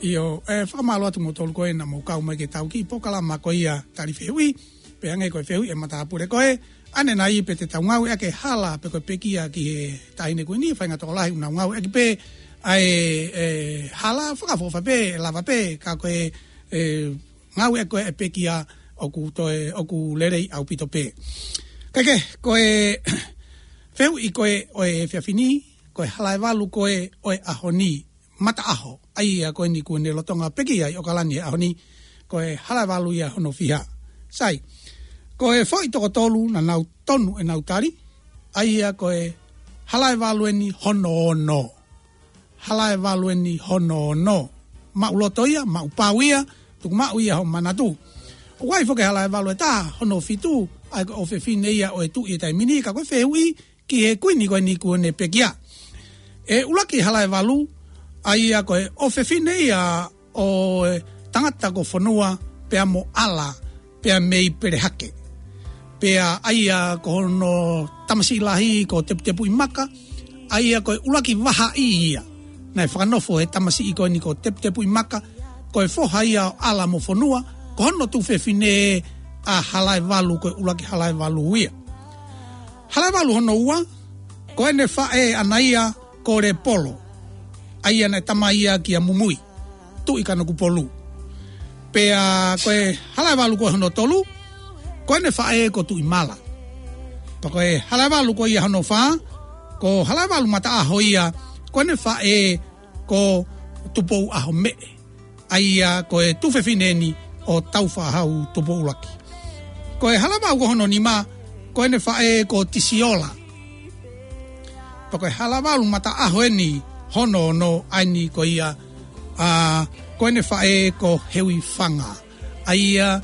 ʻIo, ʻe fakamālō atu mo tolu ko ē naʻa mou kau mai ki heʻetau kiʻi polokalama ko ia Tali Fehuʻi, pea hangē ko e fehuʻi ʻa e matāpule ko ē, ʻanenai pe te tau ngāueʻaki e hala pe ko e pekia ki he Taʻahine Kuini, faʻahinga tokolahi ʻoku nau ngāueʻaki pē ʻa e, e, hala fakaʻofoʻofa pē, lava pē, ka ko e, e, ngāueʻaki ko ē e pekia ʻoku toe, ʻoku lelei ʻaupito pē. Kae kehe, ko e fehuʻi ko ē ʻo e efiafi ni, ko e Halaevalu ko ē ʻo e ʻaho ni, mataʻaho, ʻa ia ko eni kuo ne lolotonga pekia ʻi ʻAokalani he ʻaho ni, ko e Halaevalu ia hono fiha. Sai, ko e foʻi toko tolu naʻa nau tonu ʻenau tali, ʻa ia ko e Halaevalu eni hono ono. Halaevalu eni hono ono. Maʻu loto ia, maʻu pau ia, tuku maʻu ia hoʻo manatu. ʻOku ʻi ai foki e Halaevalu ʻe taha, hono fitu, ʻa ia ko e ʻofefine ia ʻo e tuʻi he taimi ni, ka ko e fehuʻi ki he kuini ko eni kuo ne pekia. ʻE ʻuluaki Halaevalu, ʻa ia ko e ʻofefine ia ʻo e tangata ko Fonua pea mo ʻAla, pea mei Pelehake. Pea ʻa ia ko hono tamasiʻi lahi ko Teputepuʻimaka, ʻa ia ko e ʻuluaki vahaʻi ia naʻe fakanofo he tamasiʻi ko eni ko Teputepuʻimaka, ko e foha ia ʻo ʻAla mo Fonua, ko hono tuofefine ʻa Halaevalu, ko e ʻuluaki Halaevalu ia. Halaevalu hono ua, ko ʻene faʻē ʻaʻana ia ko Lepolo, ʻa ia naʻe tamai ia kia Mumui, Tuʻi Kanokupolu. Pea ko e Halaevalu ko hono tolu, ko ʻene faʻē ko Tuʻimala. Pea ko e Halaevalu ko ia hono fā, ko Halaevalu Mataʻaho ia, ko ʻene faʻē ko Tupouʻahomeʻe, ʻa ia ko e tuofefine eni ʻo Tāufaʻāhau Tupou ʻUluaki. Ko e Halaevalu ko hono nima, ko ʻene faʻē ko Tisiola. Pea ko e Halaevalu Mataʻaho eni hono ono, ʻa eni ko ia, ʻa, ko ʻene faʻē ko Heuifanga, ʻa ia,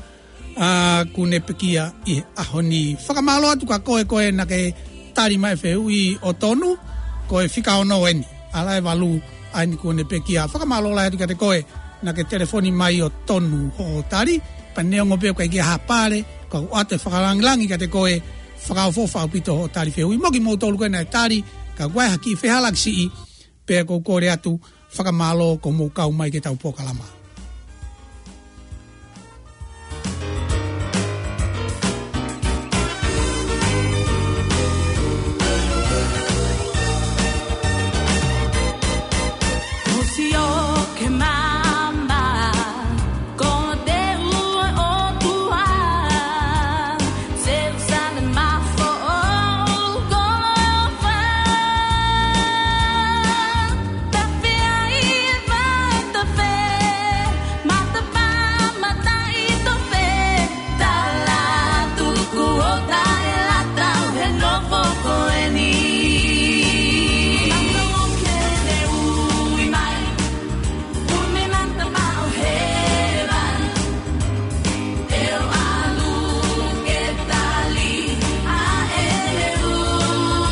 ʻa, kuo ne pekia ʻi he ʻaho ni. Fakamālō atu kia koe ko ē naʻa ke tali mai e fehuʻi ʻo tonu, ko e fika ono eni, Halaevalu, ʻa eni kuo ne pekia. Fakamālō lahi atu kiate koe naʻa ke telefoni mai ʻo tonu hoʻo tali, pea neongo pē ʻoku ʻikai ke ʻi ai ha pale, ka ʻoku ʻoatu e fakalāngilangi kiate koe, Fakaʻofoʻofa ʻaupito hoʻo tali fehuʻi mo kimoutolu ko ē naʻe tali, ka ʻoku ʻi ai ha kiʻi fehālaaki siʻi, pea ʻoku ou kole atu, fakamālō ko hoʻomou kau mai ki heʻetau polokalama.